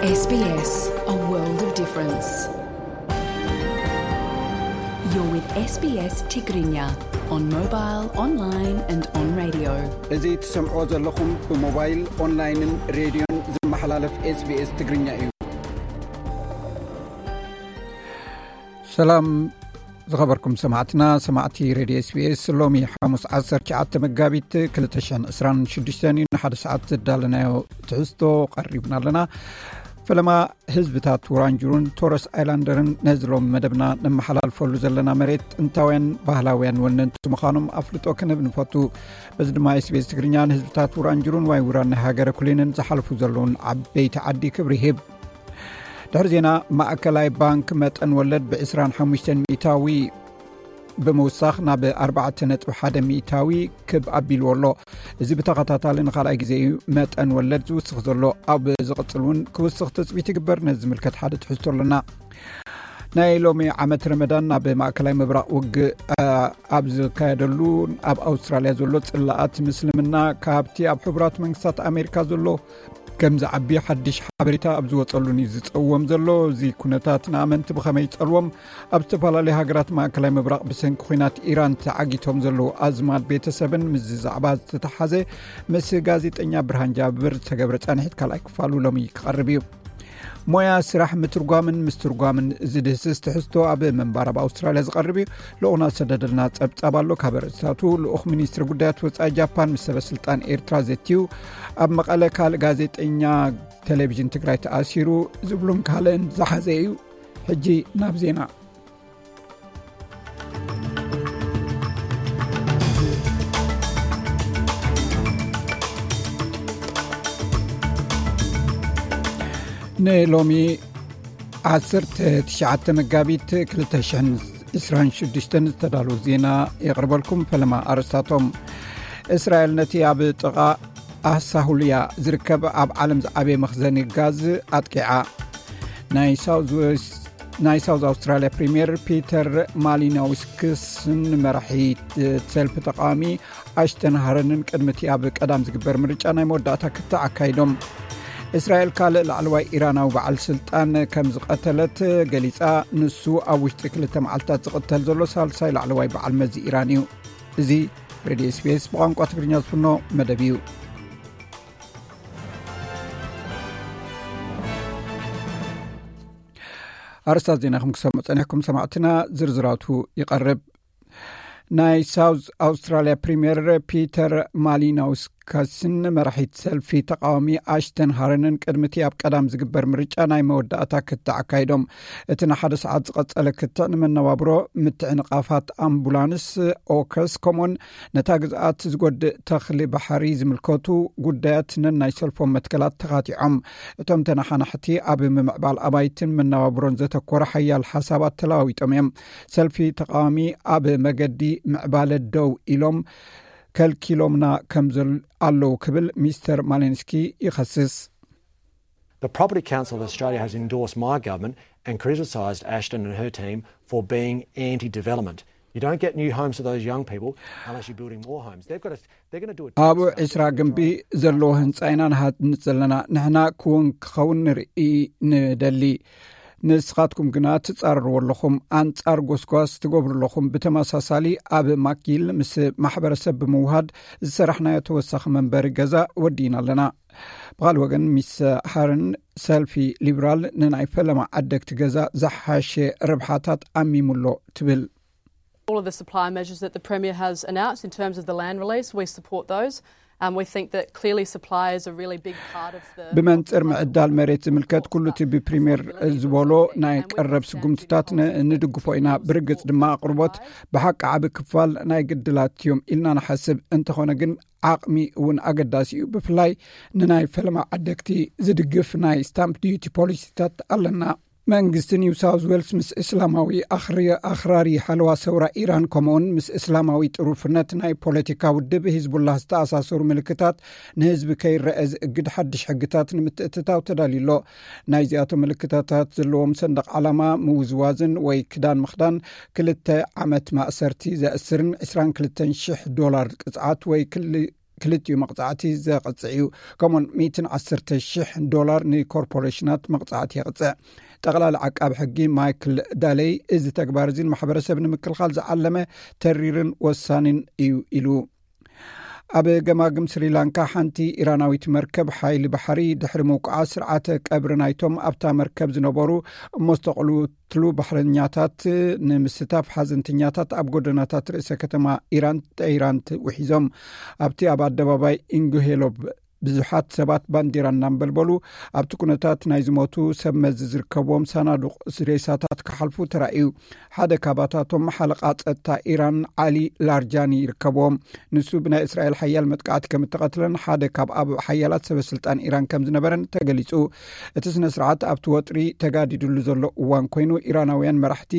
S B S, a world of difference. You're with S B S Tigrinya on mobile, online and on radio. እዚ ትሰምዕዎ ዘለኹም ብሞባይል፣ ኦንላይንን ሬድዮን ዝመሓላለፍ SBS ትግርኛ እዩ። ሰላም ዝኸበርኩም ሰማዕትና፣ ሰማዕቲ ሬድዮ SBS፣ ሎሚ ሓሙስ ዓሰርተ ትሽዓተ መጋቢት ክልተ ሽሕን ዕስራን ሽዱሽተን እዩ። ንሓደ ሰዓት ዘዳለናዮ ትሕዝቶ ቀሪብና ኣለና። ፈለማ ህዝብታት ውራንጁሩን ቶረስ ኣይላንደርን ነዚ ሎሚ መደብና ነመሓላልፈሉ ዘለና መሬት ጥንታውያን ባህላውያን ወነንቲ ምዃኖም ኣፍልጦ ክንህብ ንፈቱ። በዚ ድማ SBS ትግርኛ ንህዝብታት ውራንጁሩን ዋይ ውራን ናይ ሃገረ ኩሊንን ዝሓልፉ ዘለውን ዓበይቲ ዓዲ ክብሪ ይህብ። ድሕሪ ዜና፣ ማእከላይ ባንክ መጠን ወለድ ብ ዕስራን ሓሙሽተን ሚእታዊ ብምውሳኽ ናብ ኣርባዕተ ነጥቢ ሓደ ሚእታዊ ክብ ኣቢልዎ ኣሎ። እዚ ብተኸታታሊ ንኻልኣይ ግዜ እዩ መጠን ወለድ ዝውስኽ ዘሎ። ኣብ ዝቕጽል እውን ክውስኽ ትጽቢት ይግበር። ነዚ ዝምልከት ሓደ ትሕዝቶ ኣለና። ናይ ሎሚ ዓመት ረመዳን ናብ ማእከላይ ምብራቕ ውግእ፣ አ፣ ኣብ ዝካየደሉ ኣብ ኣውስትራልያ ዘሎ ጽላኣት ምስልምና ካብቲ ኣብ ሕቡራት መንግስታት ኣሜሪካ ዘሎ ከም ዝዓቢ ሓድሽ ሓበሬታ ኣብ ዝወጸሉን እዩ ዝጸውዎም ዘሎ። እዚ ኩነታት ንኣመንቲ ብኸመይ ይጸልዎም? ኣብ ዝተፈላለዩ ሃገራት ማእከላይ ምብራቕ ብሰንኪ ኲናት ኢራን ተዓጊቶም ዘለዉ ኣዝማድ ቤተሰብን ምስዚ ዛዕባ ዝተተሓዘ ምስ ጋዜጠኛ ብርሃን ጃብር ዝተገብረ ጻንሒት ካልኣይ ክፋሉ ሎሚ ክቐርብ እዩ። ሞያ ስራሕ ምትርጓምን ምስትርጓምን ዝድህስስ ትሕዝቶ ኣብ ምንባር ኣብ ኣውስትራልያ ዝቐርብ እዩ። ልኡኽና ዝሰደደልና ጸብጻብ ኣሎ። ካብ ኣርእስታቱ፣ ልኡኽ ሚኒስትሪ ጉዳያት ወጻኢ ጃፓን ምስ ሰበ ስልጣን ኤርትራ ዘትዩ፣ ኣብ መቐለ ካልእ ጋዜጠኛ ቴሌቪዥን ትግራይ ተኣሲሩ ዝብሉን ካልእን ዝሓዘ እዩ። ሕጂ ናብ ዜና። ንሎሚ ዓሰርተ ትሽዓተ መጋቢት ክልተ ሽሕን ዕስራን ሽዱሽተን ዝተዳለዉ ዜና የቕርበልኩም። ፈለማ ኣርእስታቶም። እስራኤል ነቲ ኣብ ጥቓ ኣሳሁልያ ዝርከብ ኣብ ዓለም ዝዓበየ መኽዘኒ ጋዝ ኣጥቂዓ። ናይ ሳውዝ ዌስት ናይ ሳውዝ ኣውስትራልያ ፕሪምየር ፒተር ማሊኖውስክስን መራሒ ሰልፊ ተቃዋሚ ኣሽተን ሃረንን ቅድሚ እቲ ኣብ ቀዳም ዝግበር ምርጫ ናይ መወዳእታ ክትዕ ኣካይዶም። እስራኤል ካልእ ላዕለዋይ ኢራናዊ በዓል ስልጣን ከም ዝቐተለት ገሊጻ። ንሱ ኣብ ውሽጢ ክልተ መዓልታት ዝቕተል ዘሎ ሳልሳይ ላዕለዋይ በዓል መዚ ኢራን እዩ። እዚ ሬድዮ SBS ብቋንቋ ትግርኛ ዝፍኖ መደብ እዩ። ኣርስታት ዜና ከም ክሰምዑ ጸኒሕኩም ሰማዕትና፣ ዝርዝራቱ ይቐርብ። ናይ ሳውዝ ኣውስትራልያ ፕሪምየር ፒተር ማሊኖውስካስን መራሒት ሰልፊ ተቃዋሚ ኣሽተን ሃረንን ቅድሚ እቲ ኣብ ቀዳም ዝግበር ምርጫ ናይ መወዳእታ ክትዕ ኣካይዶም። እቲ ንሓደ ሰዓት ዝቐጸለ ክትዕ ንመነባብሮ፣ ምትዕንቓፋት ኣምቡላንስ፣ ኦከስ፣ ከምኡውን ነታ ግዝኣት ዝጎድእ ተኽሊ ባሕሪ ዝምልከቱ ጉዳያት ነናይ ሰልፎም መትከላት ተኻቲዖም። እቶም ተነሓናሕቲ ኣብ ምምዕባል ኣባይትን መነባብሮን ዘተኮረ ሓያል ሓሳባት ተለዋዊጦም እዮም። ሰልፊ ተቃዋሚ ኣብ መገዲ ምዕባለ ደው ኢሎም ከልኪሎምና ከም ዘል-፣ ኣለዉ ክብል ሚስተር ማሌንስኪ ይኸስስ። The Property Council of Australia has endorsed my government and criticised Ashton and her team for being anti-development. You don't get new homes to those young people unless you're building more homes. They've got to, they're going to do a ኣብ ዕስራ ግንቢ ዘለዎ ህንጻ ኢና ንሃንጽ ዘለና። ንሕና ክውን ክኸውን ንርኢ ንደሊ። ንስኻትኩም ግና ትጻረርዎ ኣለኹም። ኣንጻር ጎስጓስ ትገብሩ ኣለኹም። ብተመሳሳሊ ኣብ ማክጊል ምስ ማሕበረሰብ ብምውሃድ ዝሰራሕናዮ ተወሳኺ መንበሪ ገዛ ወዲእና ኣለና። ብኻልእ ወገን፣ ሚስ ሃርን ሰልፊ ሊብራል ንናይ ፈለማ ዓደግቲ ገዛ ዝሓሸ ረብሓታት ኣሚሙሎ ትብል። All of the supply measures that the Premier has announced in terms of the land release, we support those. Um, we think that clearly supply is a really big part of the ብመንጽር ምዕዳል መሬት ዝምልከት ኩሉ እቲ ብፕሪምየር ዝበሎ ናይ ቀረብ ስጉምትታት ን-፣ ንድግፎ ኢና። ብርግጽ ድማ ኣቕርቦት ብሓቂ ዓቢ ክፋል ናይ ግድላት እዮም ኢልና ንሓስብ። እንተኾነ ግን ዓቕሚ እውን ኣገዳሲ እዩ። ብፍላይ ንናይ ፈለማ ዓደግቲ ዝድግፍ ናይ ስታምፕ ዲዩቲ ፖሊሲታት ኣለና። መንግስቲ ኒው ሳውዝ ዌልስ ምስ እስላማዊ ኣኽሪ-፣ ኣኽራሪ ሓለዋ ሰውራ ኢራን፣ ከምኡውን ምስ እስላማዊ ጥሩፍነት ናይ ፖለቲካ ውድብ ሂዝቡላህ ዝተኣሳሰሩ ምልክታት ንህዝቢ ከይረአ ዝእግድ ሓድሽ ሕግታት ንምትእትታው ተዳልዩ ኣሎ። ናይዚኣቶም ምልክታታት ዘለዎም ሰንደቕ ዓላማ ምውዝዋዝን ወይ ክዳን ምኽዳን ክልተ ዓመት ማእሰርቲ ዘእስርን ዕስራን ክልተን ሽሕ ዶላር ቅጽዓት ወይ ክል-፣ ክልቲኡ መቕጻዕቲ ዘቕጽዕ እዩ። ከምኡውን ሚእትን ዓሰርተ ሽሕ ዶላር ንኮርፖሬሽናት መቕጻዕቲ የቕጽዕ። ጠቕላሊ ዓቃቢ ሕጊ ማይክል ዳለይ፣ እዚ ተግባር እዚ ንማሕበረሰብ ንምክልኻል ዝዓለመ ተሪርን ወሳኒን እዩ ኢሉ። ኣብ ገማግም ስሪላንካ ሓንቲ ኢራናዊት መርከብ ሓይሊ ባሕሪ ድሕሪ ምውቃዓ፣ ስርዓተ ቀብሪ ናይቶም ኣብታ መርከብ ዝነበሩ እሞ ዝተቐልትሉ ባሕረኛታት ንምስታፍ ሓዘንተኛታት ኣብ ጎደናታት ርእሰ ከተማ ኢራን፣ ቴህራን፣ ውሒዞም። ኣብቲ ኣብ ኣደባባይ ኢንጉሄሎብ ብዙሓት ሰባት ባንዲራ እናንበልበሉ፣ ኣብቲ ኩነታት ናይ ዝሞቱ ሰብ መዚ ዝርከብዎም ሳናዱቕ ሬሳታት ክሓልፉ ተራእዩ። ሓደ ካባታቶም ሓለቓ ጸጥታ ኢራን ዓሊ ላርጃኒ ይርከብዎም። ንሱ ብናይ እስራኤል ሓያል መጥቃዕቲ ከም እተቐትለን ሓደ ካብ ኣብ ሓያላት ሰበ ስልጣን ኢራን ከም ዝነበረን ተገሊጹ። እቲ ስነ ስርዓት ኣብቲ ወጥሪ ተጋዲድሉ ዘሎ እዋን ኮይኑ፣ ኢራናውያን መራሕቲ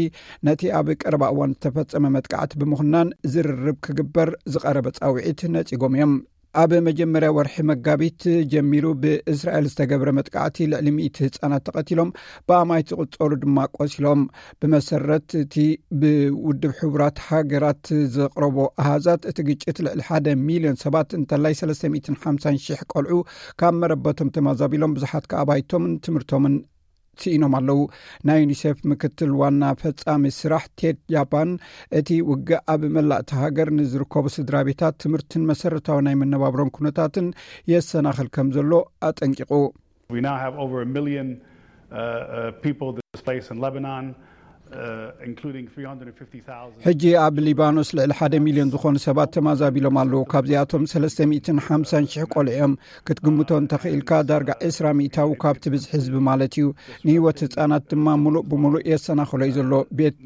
ነቲ ኣብ ቀረባ እዋን ዝተፈጸመ መጥቃዕቲ ብምኹናን ዝርርብ ክግበር ዝቐረበ ጻውዒት ነጺጎም እዮም። ኣብ መጀመርያ ወርሒ መጋቢት ጀሚሩ ብእስራኤል ዝተገብረ መጥቃዕቲ ልዕሊ ሚእቲ ህጻናት ተቐቲሎም፣ ብኣማይ ዝቑጸሩ ድማ ቆሲሎም። ብመሰረት እቲ ብውድብ ሕቡራት ሃገራት ዘቕረቦ ኣሃዛት፣ እቲ ግጭት ልዕሊ ሓደ ሚልዮን ሰባት እንተላይ ሰለስተ ሚእትን ሓምሳን ሽሕ ቆልዑ ካብ መረበቶም ተማዛቢሎም፣ ብዙሓት ከኣ ኣባይቶምን ትምህርቶምን ስኢኖም ኣለዉ። ናይ ዩኒሴፍ ምክትል ዋና ፈጻሚ ስራሕ ቴድ ጃፓን፣ እቲ ውግእ ኣብ መላእቲ ሃገር ንዝርከቡ ስድራ ቤታት ትምህርትን መሰረታዊ ናይ መነባብሮን ኩነታትን የሰናኽል ከም ዘሎ ኣጠንቂቑ። We now have over a million uh, uh, people displaced in Lebanon, uh, including three hundred fifty thousand. ሕጂ ኣብ ሊባኖስ ልዕሊ ሓደ ሚልዮን ዝኾኑ ሰባት ተማዛቢሎም ኣለዉ። ካብዚኣቶም ሰለስተ ሚእትን ሓምሳን ሽሕ ቆልዑ እዮም። ክትግምቶ እንተኽኢልካ፣ ዳርጋ ዕስራ ሚእታዊ ካብቲ ብዝሒ ህዝቢ ማለት እዩ። ንህይወት ህጻናት ድማ ሙሉእ ብሙሉእ የሰናኽሎ እዩ ዘሎ። ቤት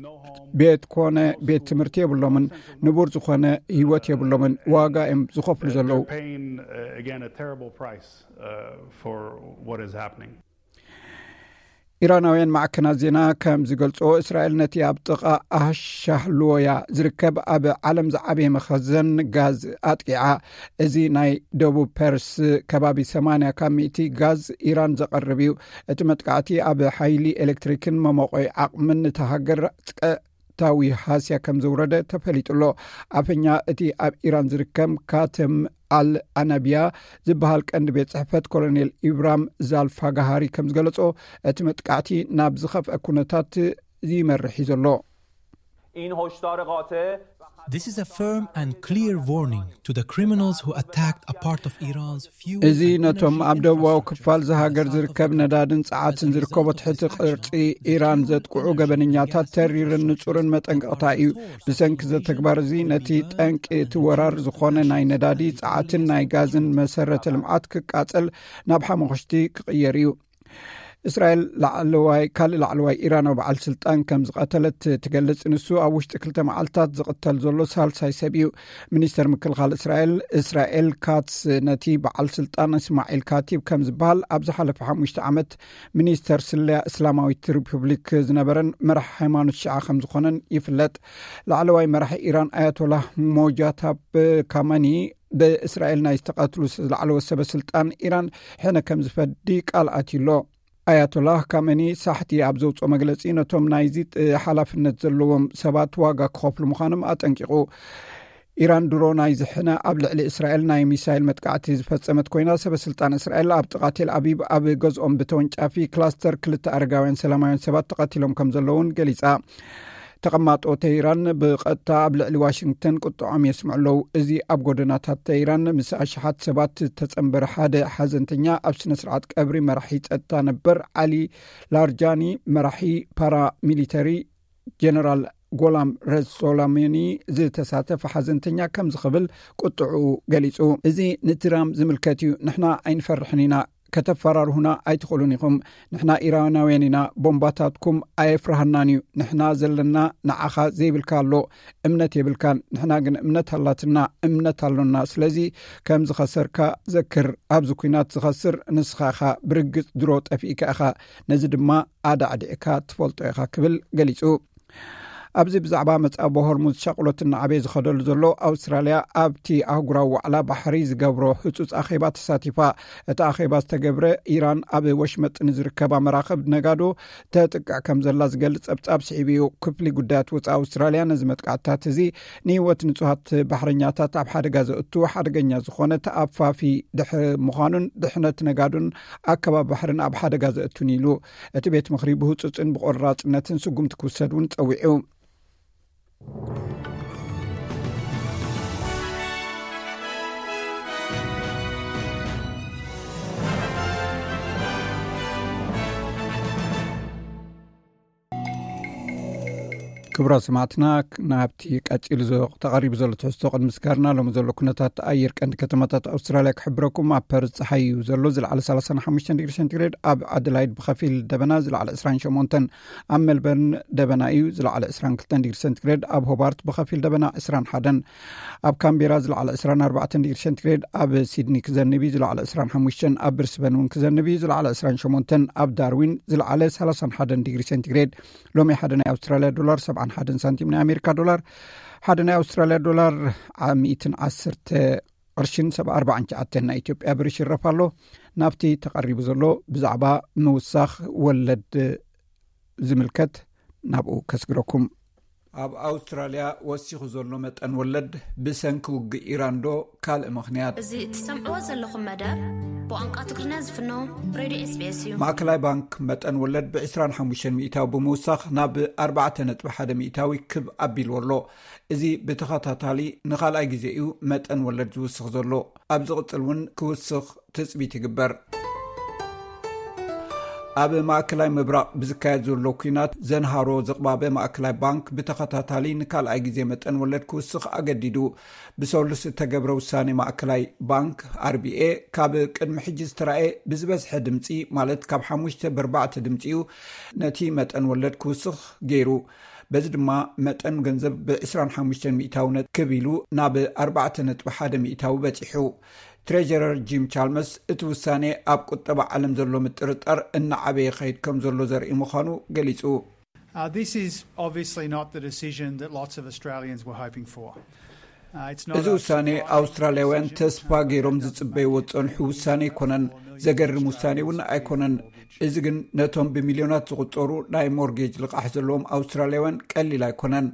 ቤት ኮነ ቤት ትምህርቲ የብሎምን። ንቡር ዝኾነ ህይወት የብሎምን። ዋጋ እዮም ዝኸፍሉ ዘለዉ። Paying uh, again a terrible price uh, for what is happening. ኢራናውያን ማዕከናት ዜና ከም ዝገልጾ፣ እስራኤል ነቲ ኣብ ጥቓ ኣሻህልወያ ዝርከብ ኣብ ዓለም ዝዓበየ መኸዘን ጋዝ ኣጥቂዓ። እዚ ናይ ደቡብ ፐርስ ከባቢ ሰማንያ ካብ ሚእቲ ጋዝ ኢራን ዘቐርብ እዩ። እቲ መጥቃዕቲ ኣብ ሓይሊ ኤሌክትሪክን መሞቆይ ዓቕምን እታ ሃገር ቀጥታዊ ሃስያ ከም ዘውረደ ተፈሊጡ ኣሎ። ኣፈኛ እቲ ኣብ ኢራን ዝርከብ ካተም ኣል ኣናቢያ ዝበሃል ቀንዲ ቤት ጽሕፈት ኮሎኔል ኢብራም ዛልፋጋሃሪ ከም ዝገለጾ፣ እቲ መጥቃዕቲ ናብ ዝኸፍአ ኩነታት ይመርሕ እዩ ዘሎ። این هشدار قاطع This is a firm and clear warning to the criminals who attacked a part of Iran's few እዚ ነቶም ኣብ ደቡባዊ ክፋል ዝሃገር ዝርከብ ነዳድን ጸዓትን ዝርከቦ ትሕቲ ቅርጺ ኢራን ዘጥቅዑ ገበነኛታት ተሪርን ንጹርን መጠንቀቕታ እዩ። ብሰንኪ እዚ ተግባር እዚ፣ ነቲ ጠንቂ እቲ ወራር ዝኾነ ናይ ነዳዲ፣ ጸዓትን ናይ ጋዝን መሰረተ ልምዓት ክቃጸል፣ ናብ ሓመኹሽቲ ክቕየር እዩ። እስራኤል ላዕለዋይ ካልእ ላዕለዋይ ኢራናዊ በዓል ስልጣን ከም ዝቐተለት ትገልጽ። ንሱ ኣብ ውሽጢ ክልተ መዓልታት ዝቕተል ዘሎ ሳልሳይ ሰብ እዩ። ሚኒስተር ምክልኻል እስራኤል እስራኤል ካትስ ነቲ በዓል ስልጣን እስማዒል ካቲብ ከም ዝበሃል ኣብ ዝሓለፈ ሓሙሽተ ዓመት ሚኒስተር ስለያ እስላማዊት ሪፑብሊክ ዝነበረን መራሕ ሃይማኖት ሽዓ ከም ዝኾነን ይፍለጥ። ላዕለዋይ መራሒ ኢራን ኣያቶላህ ሞጃታብ ካመኒ ብእስራኤል ናይ ዝተቐትሉ ዝለዓለወ ሰበ ስልጣን ኢራን ሕነ ከም ዝፈዲ ቃል ኣትዩ ኣሎ። ኣያቶላህ ካመኒ ሳሕቲ ኣብ ዘውፅኦ መግለፂ፣ ነቶም ናይዚ ሓላፍነት ዘለዎም ሰባት ዋጋ ክኸፍሉ ምዃኖም ኣጠንቂቑ። ኢራን ድሮ ናይዚ ሕነ ኣብ ልዕሊ እስራኤል ናይ ሚሳይል መጥቃዕቲ ዝፈፀመት ኮይና፣ ሰበ ስልጣን እስራኤል ኣብ ጥቓ ቴል ኣቪቭ ኣብ ገዝኦም ብተወንጫፊ ክላስተር ክልተ ኣረጋውያን ሰላማውያን ሰባት ተቐቲሎም ከም ዘለውን ገሊፃ። ተቐማጦ ተህራን ብቐጥታ ኣብ ልዕሊ ዋሽንግተን ቁጥዖም የስምዑ ኣለዉ። እዚ ኣብ ጎደናታት ተህራን ምስ ኣሽሓት ሰባት ዝተጸንበረ ሓደ ሓዘንተኛ ኣብ ስነ ስርዓት ቀብሪ መራሒ ጸጥታ ነበር ዓሊ ላርጃኒ፣ መራሒ ፓራሚሊተሪ ጀነራል ጎላም ረሶላሚኒ ዝተሳተፈ ሓዘንተኛ ከምዚ ክብል ቁጥዑ ገሊጹ። እዚ ንትራም ዝምልከት እዩ። ንሕና ኣይንፈርሕን ኢና። ከተፈራርሁና ኣይትኽእሉን ኢኹም። ንሕና ኢራናውያን ኢና። ቦምባታትኩም ኣየፍርሃናን እዩ። ንሕና ዘለና ንዓኻ ዘይብልካ ኣሎ። እምነት የብልካን። ንሕና ግን እምነት ኣላትና፣ እምነት ኣሎና። ስለዚ ከም ዝኸሰርካ ዘክር። ኣብዚ ኲናት ዝኸስር ንስኻ ኢኻ። ብርግጽ ድሮ ጠፊእካ ኢኻ። ነዚ ድማ ኣዳዕዲዕካ ትፈልጦ ኢኻ ክብል ገሊጹ። ኣብዚ ብዛዕባ መጻብ ሆርሙዝ ሻቕሎት እናዓበየ ዝኸደሉ ዘሎ፣ ኣውስትራልያ ኣብቲ ኣህጉራዊ ዋዕላ ባሕሪ ዝገብሮ ህጹጽ ኣኼባ ተሳቲፋ። እቲ ኣኼባ ዝተገብረ፣ ኢራን ኣብ ወሽመጥ ንዝርከባ መራኽብ ነጋዶ ተጥቅዕ ከም ዘላ ዝገልጽ ጸብጻብ ስዒቡ እዩ። ክፍሊ ጉዳያት ወጻኢ ኣውስትራልያ ነዚ መጥቃዕትታት እዚ ንህይወት ንጹሃት ባሕረኛታት ኣብ ሓደጋ ዘእቱ ሓደገኛ ዝኾነ ተኣፋፊ ድሕሪ ምዃኑን ድሕነት ነጋዶን ኣከባቢ ባሕርን ኣብ ሓደጋ ዘእቱን ኢሉ። እቲ ቤት ምኽሪ ብህጹጽን ብቆራጽነትን ስጉምቲ ክውሰድ እውን ጸዊዑ። ክቡራት ሰማዕትና፣ ናብቲ ቀጺሉ ዞ-፣ ተቐሪቡ ዘሎ ትሕዝቶ ቅድሚ ስጋርና፣ ሎሚ ዘሎ ኩነታት ኣየር ቀንዲ ከተማታት ኣውስትራልያ ክሕብረኩም። ኣብ ፐርዝ ጸሓይ እዩ ዘሎ፣ ዝለዓለ ሰላሳን ሓሙሽተን ዲግሪ ሴንቲግሬድ፣ ኣብ ኣደላይድ ብኸፊል ደበና፣ ዝለዓለ ዕስራን ሸሞንተን፣ ኣብ ሜልበርን ደበና እዩ፣ ዝለዓለ ዕስራን ክልተን ዲግሪ ሴንቲግሬድ፣ ኣብ ሆባርት ብኸፊል ደበና ዕስራን ሓደን፣ ኣብ ካምቤራ ዝለዓለ ዕስራን ኣርባዕተን ዲግሪ ሴንቲግሬድ፣ ኣብ ሲድኒ ክዘንብ እዩ፣ ዝለዓለ ዕስራን ሓሙሽተን፣ ኣብ ብሪስበን እውን ክዘንብ እዩ፣ ዝለዓለ ዕስራን ሸሞንተን፣ ኣብ ዳርዊን ዝለዓለ ሰላሳን ሓደን ዲግሪ ሴንቲግሬድ። ሎሚ ሓደ ናይ ኣውስትራልያ ዶላር ሰብዓን ሓደን ሳንቲም፣ ናይ ኣሜሪካ ዶላር፣ ሓደ ናይ ኣውስትራልያ ዶላር ዓ-፣ ሚእትን ዓሰርተ ቅርሽን ሰብዓ ኣርባዓን ትሽዓተን ናይ ኢትዮጵያ ብር ይሽረፍ ኣሎ። ናብቲ ተቐሪቡ ዘሎ ብዛዕባ ምውሳኽ ወለድ ዝምልከት ናብኡ ከስግረኩም። ኣብ ኣውስትራልያ ወሲኹ ዘሎ መጠን ወለድ ብሰንኪ ውግእ ኢራን ዶ ካልእ ምኽንያት? እዚ እትሰምዕዎ ዘለኹም መደብ ብቋንቋ ትግርኛ ዝፍኖ ሬድዮ SBS እዩ። ማእከላይ ባንክ መጠን ወለድ ብ ዕስራን ሓሙሽተን ሚእታዊ ብምውሳኽ ናብ ኣርባዕተ ነጥቢ ሓደ ሚእታዊ ክብ ኣቢልዎ ኣሎ። እዚ ብተኸታታሊ ንኻልኣይ ግዜ እዩ መጠን ወለድ ዝውስኽ ዘሎ። ኣብ ዝቕጽል እውን ክውስኽ ትጽቢት ይግበር። ኣብ ማእከላይ ምብራቕ ብዝካየድ ዘሎ ኲናት ዘንሃሮ ዝቕባበ ማእከላይ ባንክ ብተኸታታሊ ንካልኣይ ግዜ መጠን ወለድ ክውስኽ ኣገዲዱ። ብሰሉስ እተገብረ ውሳኔ ማእከላይ ባንክ ኣር ቢ ኤ ካብ ቅድሚ ሕጂ ዝተራእየ ብዝበዝሐ ድምጺ፣ ማለት ካብ ሓሙሽተ ብኣርባዕተ ድምጺ እዩ ነቲ መጠን ወለድ ክውስኽ ገይሩ። በዚ ድማ መጠን ገንዘብ ብ ዕስራን ሓሙሽተን ሚእታዊ ነት ክብ ኢሉ ናብ ኣርባዕተ ነጥቢ ሓደ ሚእታዊ በጺሑ። ትሬጀረር ጂም ቻልመስ እቲ ውሳኔ ኣብ ቁጠባ ዓለም ዘሎ ምጥርጣር እናዓበየ ይኸይድ ከም ዘሎ ዘርኢ ምዃኑ ገሊጹ። Uh, this is obviously not the decision that lots of Australians were hoping for. Uh, it's not እዚ a ውሳኔ surprise ኣውስትራልያውያን decision. ተስፋ ገይሮም ዝጽበይዎ ዝጸንሑ ውሳኔ ኣይኮነን። ዘገርም ውሳኔ እውን ኣይኮነን። እዚ ግን ነቶም ብሚልዮናት ዝቑጸሩ ናይ ሞርጌጅ ልቓሕ ዘለዎም ኣውስትራልያውያን ቀሊል ኣይኮነን።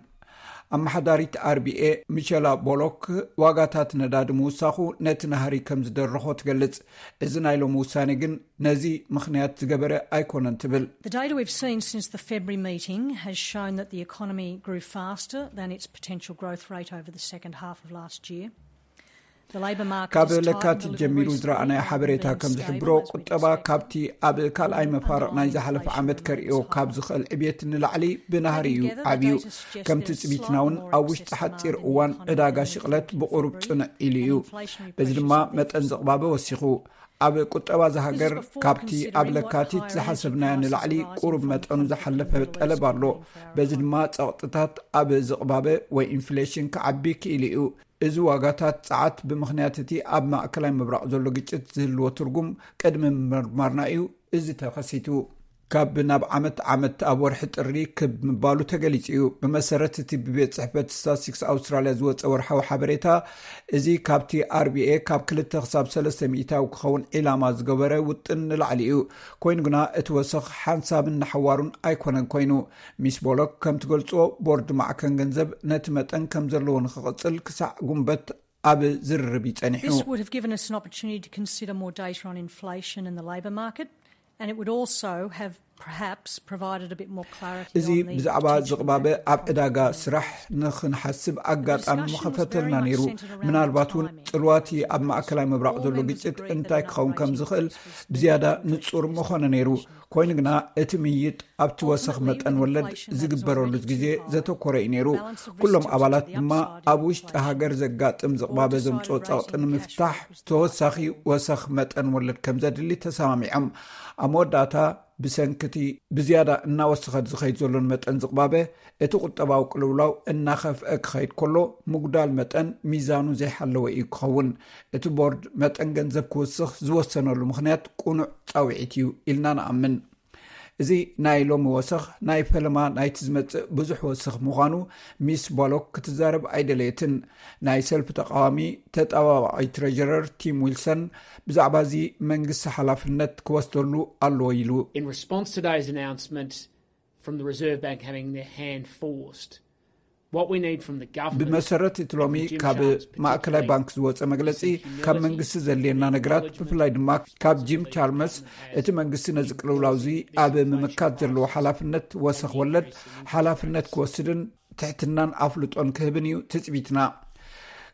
ኣመሓዳሪት ኣር ቢ ኤ ሚሸላ ቦሎክ ዋጋታት ነዳዲ ምውሳኹ ነቲ ናህሪ ከም ዝደረኾ ትገልጽ። እዚ ናይ ሎሚ ውሳኔ ግን ነዚ ምኽንያት ዝገበረ ኣይኮነን ትብል። The data we've seen since the February meeting has shown that the economy grew faster than its potential growth rate over the second half of last year. The labour market ካብ has tightened a ለካቲት little ጀሚሩ recently ዝረኣናዮ rather ሓበሬታ than ከም ዝሕብሮ፣ stabilised as we ቁጠባ expected. ካብቲ ኣብ ካልኣይ መፋርቕ ናይ ዝሓለፈ ዓመት ከርእዮ ካብ ዝኽእል ዕብየት ንላዕሊ ብናህሪ እዩ ዓብዩ። ከምቲ ጽቢትና እውን ኣብ ውሽጢ ሓጺር እዋን ዕዳጋ ሽቕለት ብቑሩብ ጽንዕ ኢሉ እዩ። በዚ ድማ መጠን ዝቕባበ ወሲኹ። ኣብ ቁጠባ ዝሃገር ካብቲ ኣብ ለካቲት ዝሓሰብናዮ ንላዕሊ ቁሩብ መጠኑ ዝሓለፈ ጠለብ ኣሎ። በዚ ድማ ጸቕጥታት ኣብ ዝቕባበ ወይ ኢንፍሌሽን ክዓቢ ክኢሉ እዩ። እዚ ዋጋታት ጸዓት ብምኽንያት እቲ ኣብ ማእከላይ ምብራቕ ዘሎ ግጭት ዝህልዎ ትርጉም ቅድሚ ምምርማርና እዩ እዚ ተኸሲቱ። ካብ ናብ ዓመት ዓመት ኣብ ወርሒ ጥሪ ክብ ምባሉ ተገሊጹ እዩ። ብመሰረት እቲ ብቤት ጽሕፈት ስታትስቲክስ ኣውስትራልያ ዝወጸ ወርሓዊ ሓበሬታ፣ እዚ ካብቲ ኣር ቢ ኤ ካብ ክልተ ክሳብ ሰለስተ ሚእታዊ ክኸውን ዒላማ ዝገበረ ውጥን ንላዕሊ እዩ። ኮይኑ ግና እቲ ወሰኽ ሓንሳብን ንሓዋሩን ኣይኮነን ኮይኑ። ሚስ ቦሎክ ከም ትገልጽዎ፣ ቦርድ ማዕከን ገንዘብ ነቲ መጠን ከም ዘለዎ ንኽቕጽል ክሳዕ ጉንበት ኣብ ዝርርብ እዩ ጸኒሑ። This would have given us an opportunity to consider more data on inflation and the labour market, and it would also have perhaps provided a bit more clarity እዚ on the ብዛዕባ potential ዝቕባበ impact of ኣብ ዕዳጋ economy. ስራሕ ንኽንሓስብ ኣጋጣሚ ምኸፈተልና ነይሩ። ምናልባት እውን ጽልዋቲ ኣብ ማእከላይ ምብራቕ ዘሎ ግጭት እንታይ ክኸውን ከም ዝኽእል ብዝያዳ ንጹር ምኾነ ነይሩ። ኮይኑ ግና እቲ ምይይጥ ኣብቲ ወሰኽ መጠን ወለድ ዝግበረሉ ግዜ ዘተኮረ እዩ ነይሩ። ኩሎም ኣባላት ድማ ኣብ ውሽጢ ሃገር ዘጋጥም ዝቕባበ ዘምጽኦ ጸቕጢ ንምፍታሕ ተወሳኺ ወሰኽ መጠን ወለድ ከም ዘድሊ ተሰማሚዖም። ኣብ መወዳእታ ብሰንኪ እቲ ብዝያዳ እናወሰኸ ዝኸይድ ዘሎን መጠን ዝቕባበ፣ እቲ ቁጠባዊ ቅልውላው እናኸፍአ ክኸይድ ከሎ፣ ምጉዳል መጠን ሚዛኑ ዘይሓለወ እዩ ክኸውን። እቲ ቦርድ መጠን ገንዘብ ክውስኽ ዝወሰነሉ ምኽንያት ቅኑዕ ጻውዒት እዩ ኢልና ንኣምን። እዚ ናይ ሎሚ ወሰኽ ናይ ፈለማ ናይቲ ዝመጽእ ብዙሕ ወሰኽ ምዃኑ ሚስ ቦሎክ ክትዛረብ ኣይደለየትን። ናይ ሰልፊ ተቃዋሚ ተጠባባቒ ትሬጀረር ቲም ዊልሰን ብዛዕባ እዚ መንግስቲ ሓላፍነት ክወስደሉ ኣለዎ ኢሉ። In response to today's announcement from the Reserve Bank having their hand forced, what we need from the government ብመሰረት እቲ ሎሚ ካብ ማእከላይ ባንክ ዝወፀ መግለፂ፣ ካብ መንግስቲ ዘድልየና ነገራት፣ ብፍላይ ድማ ካብ ጂም ቻልመስ፣ እቲ መንግስቲ ነዚ ቅልውላው እዚ ኣብ ምምካት ዘለዎ ሓላፍነት ወሰኽ ወለድ ሓላፍነት ክወስድን ትሕትናን ኣፍልጦን ክህብን እዩ ትፅቢትና።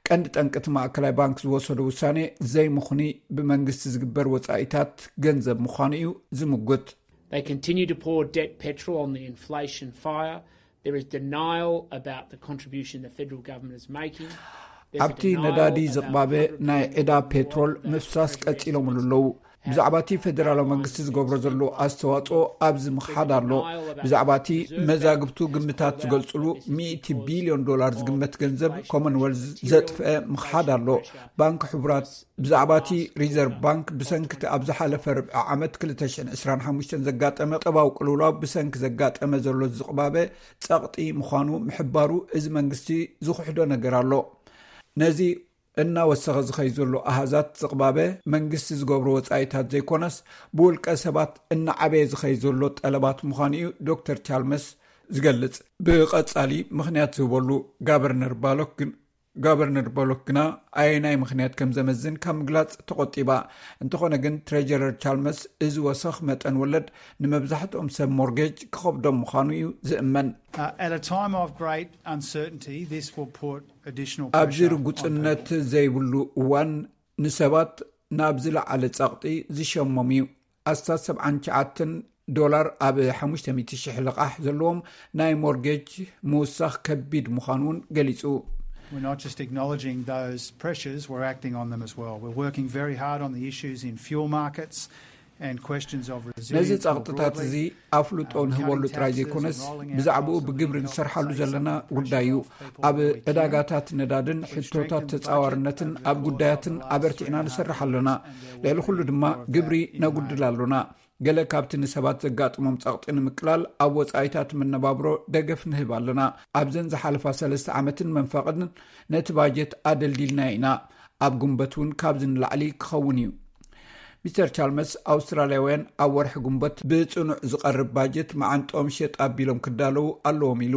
ቀንዲ ጠንቂ እቲ ማእከላይ ባንክ ዝወሰዶ ውሳኔ ዘይምኹኒ ብመንግስቲ ዝግበር ወፃኢታት ገንዘብ ምዃኑ እዩ ዝምጉት። They continue to pour debt petrol on the inflation fire. There is denial about the contribution the federal government is making. There's a ኣብቲ denial ነዳዲ about ዝቕባበ ናይ ዕዳ ፔትሮል ምፍሳስ ቀፂሎምሉ ኣለዉ። ብዛዕባ እቲ ፌደራላዊ መንግስቲ ዝገብሮ ዘሎ ኣስተዋፅኦ ኣብዚ ምኽሓድ ኣሎ። ብዛዕባ እቲ መዛግብቱ ግምታት ዝገልፅሉ ሚእቲ ቢልዮን ዶላር ዝግመት ገንዘብ ኮመንወልዝ ዘጥፍአ ምኽሓድ ኣሎ። ባንክ ሕቡራት ብዛዕባ እቲ ሪዘርቭ ባንክ ብሰንኪ እቲ ኣብ ዝሓለፈ ርብዒ ዓመት ክልተ ሽሕን ዕስራን ሓሙሽተን ዘጋጠመ ቁጠባዊ ቅልውላው ብሰንኪ ዘጋጠመ ዘሎ ዝቕባበ ጸቕጢ ምዃኑ ምሕባሩ እዚ መንግስቲ ዝኽሕዶ ነገር ኣሎ። ነዚ እናወሰኸ ዝኸይ ዘሎ ኣሃዛት ዝቕባበ መንግስቲ ዝገብሮ ወጻኢታት ዘይኮነስ ብውልቀ ሰባት እናዓበየ ዝኸይ ዘሎ ጠለባት ምዃኑ እዩ ዶክተር ቻልመስ ዝገልጽ። ብቐጻሊ ምኽንያት ዝህበሉ ጋቨርነር ባሎክ ግን ጋቨርነር ቦሎክ ግና ኣየናይ ምኽንያት ከም ዘመዝን ካብ ምግላጽ ተቖጢባ። እንተኾነ ግን ትሬጀረር ቻልመስ እዚ ወሰኽ መጠን ወለድ ንመብዛሕትኦም ሰብ ሞርጌጅ ክኸብዶም ምዃኑ እዩ ዝእመን። Uh, at a time of great uncertainty, this will put additional ኣብዚ pressure on ርጉጽነት people. ዘይብሉ እዋን ንሰባት ናብ ዝለዓለ ጸቕጢ ዝሸሞም እዩ። ኣስታት ሰብዓን ትሽዓተን ዶላር ኣብ ሓሙሽተ ሚእቲ ሽሕ ልቓሕ ዘለዎም ናይ ሞርጌጅ ምውሳኽ ከቢድ ምዃኑ እውን ገሊጹ። We're not just acknowledging those pressures, we're acting on them as well. We're working very hard on the issues in fuel markets and questions of ነዚ resilience more ጸቕጥታት broadly. እዚ ኣፍልጦ ንህበሉ ጥራይ ዘይኮነስ ብዛዕባኡ ብግብሪ ንሰርሓሉ ዘለና ጉዳይ እዩ። ኣብ ዕዳጋታት ነዳድን ሕቶታት ተጻዋርነትን ኣብ ጉዳያትን ኣበርቲዕና ንሰርሕ ኣለና። ልዕሊ ኩሉ ድማ ግብሪ ነጉድል ኣሎና። ገለ ካብቲ ንሰባት ዘጋጥሞም ጸቕጢ ንምቅላል ኣብ ወጻኢታት መነባብሮ ደገፍ ንህብ ኣለና። ኣብዘን ዝሓለፋ ሰለስተ ዓመትን መንፈቕን ነቲ ባጀት ኣደልዲልና ኢና። ኣብ ጉንበት እውን ካብዚ ንላዕሊ ክኸውን እዩ። ሚስተር ቻልመስ ኣውስትራልያውያን ኣብ ወርሒ ጉንበት ብጽኑዕ ዝቐርብ ባጀት መዓንጥኦም ሸጥ ኣቢሎም ክዳለዉ ኣለዎም ኢሉ።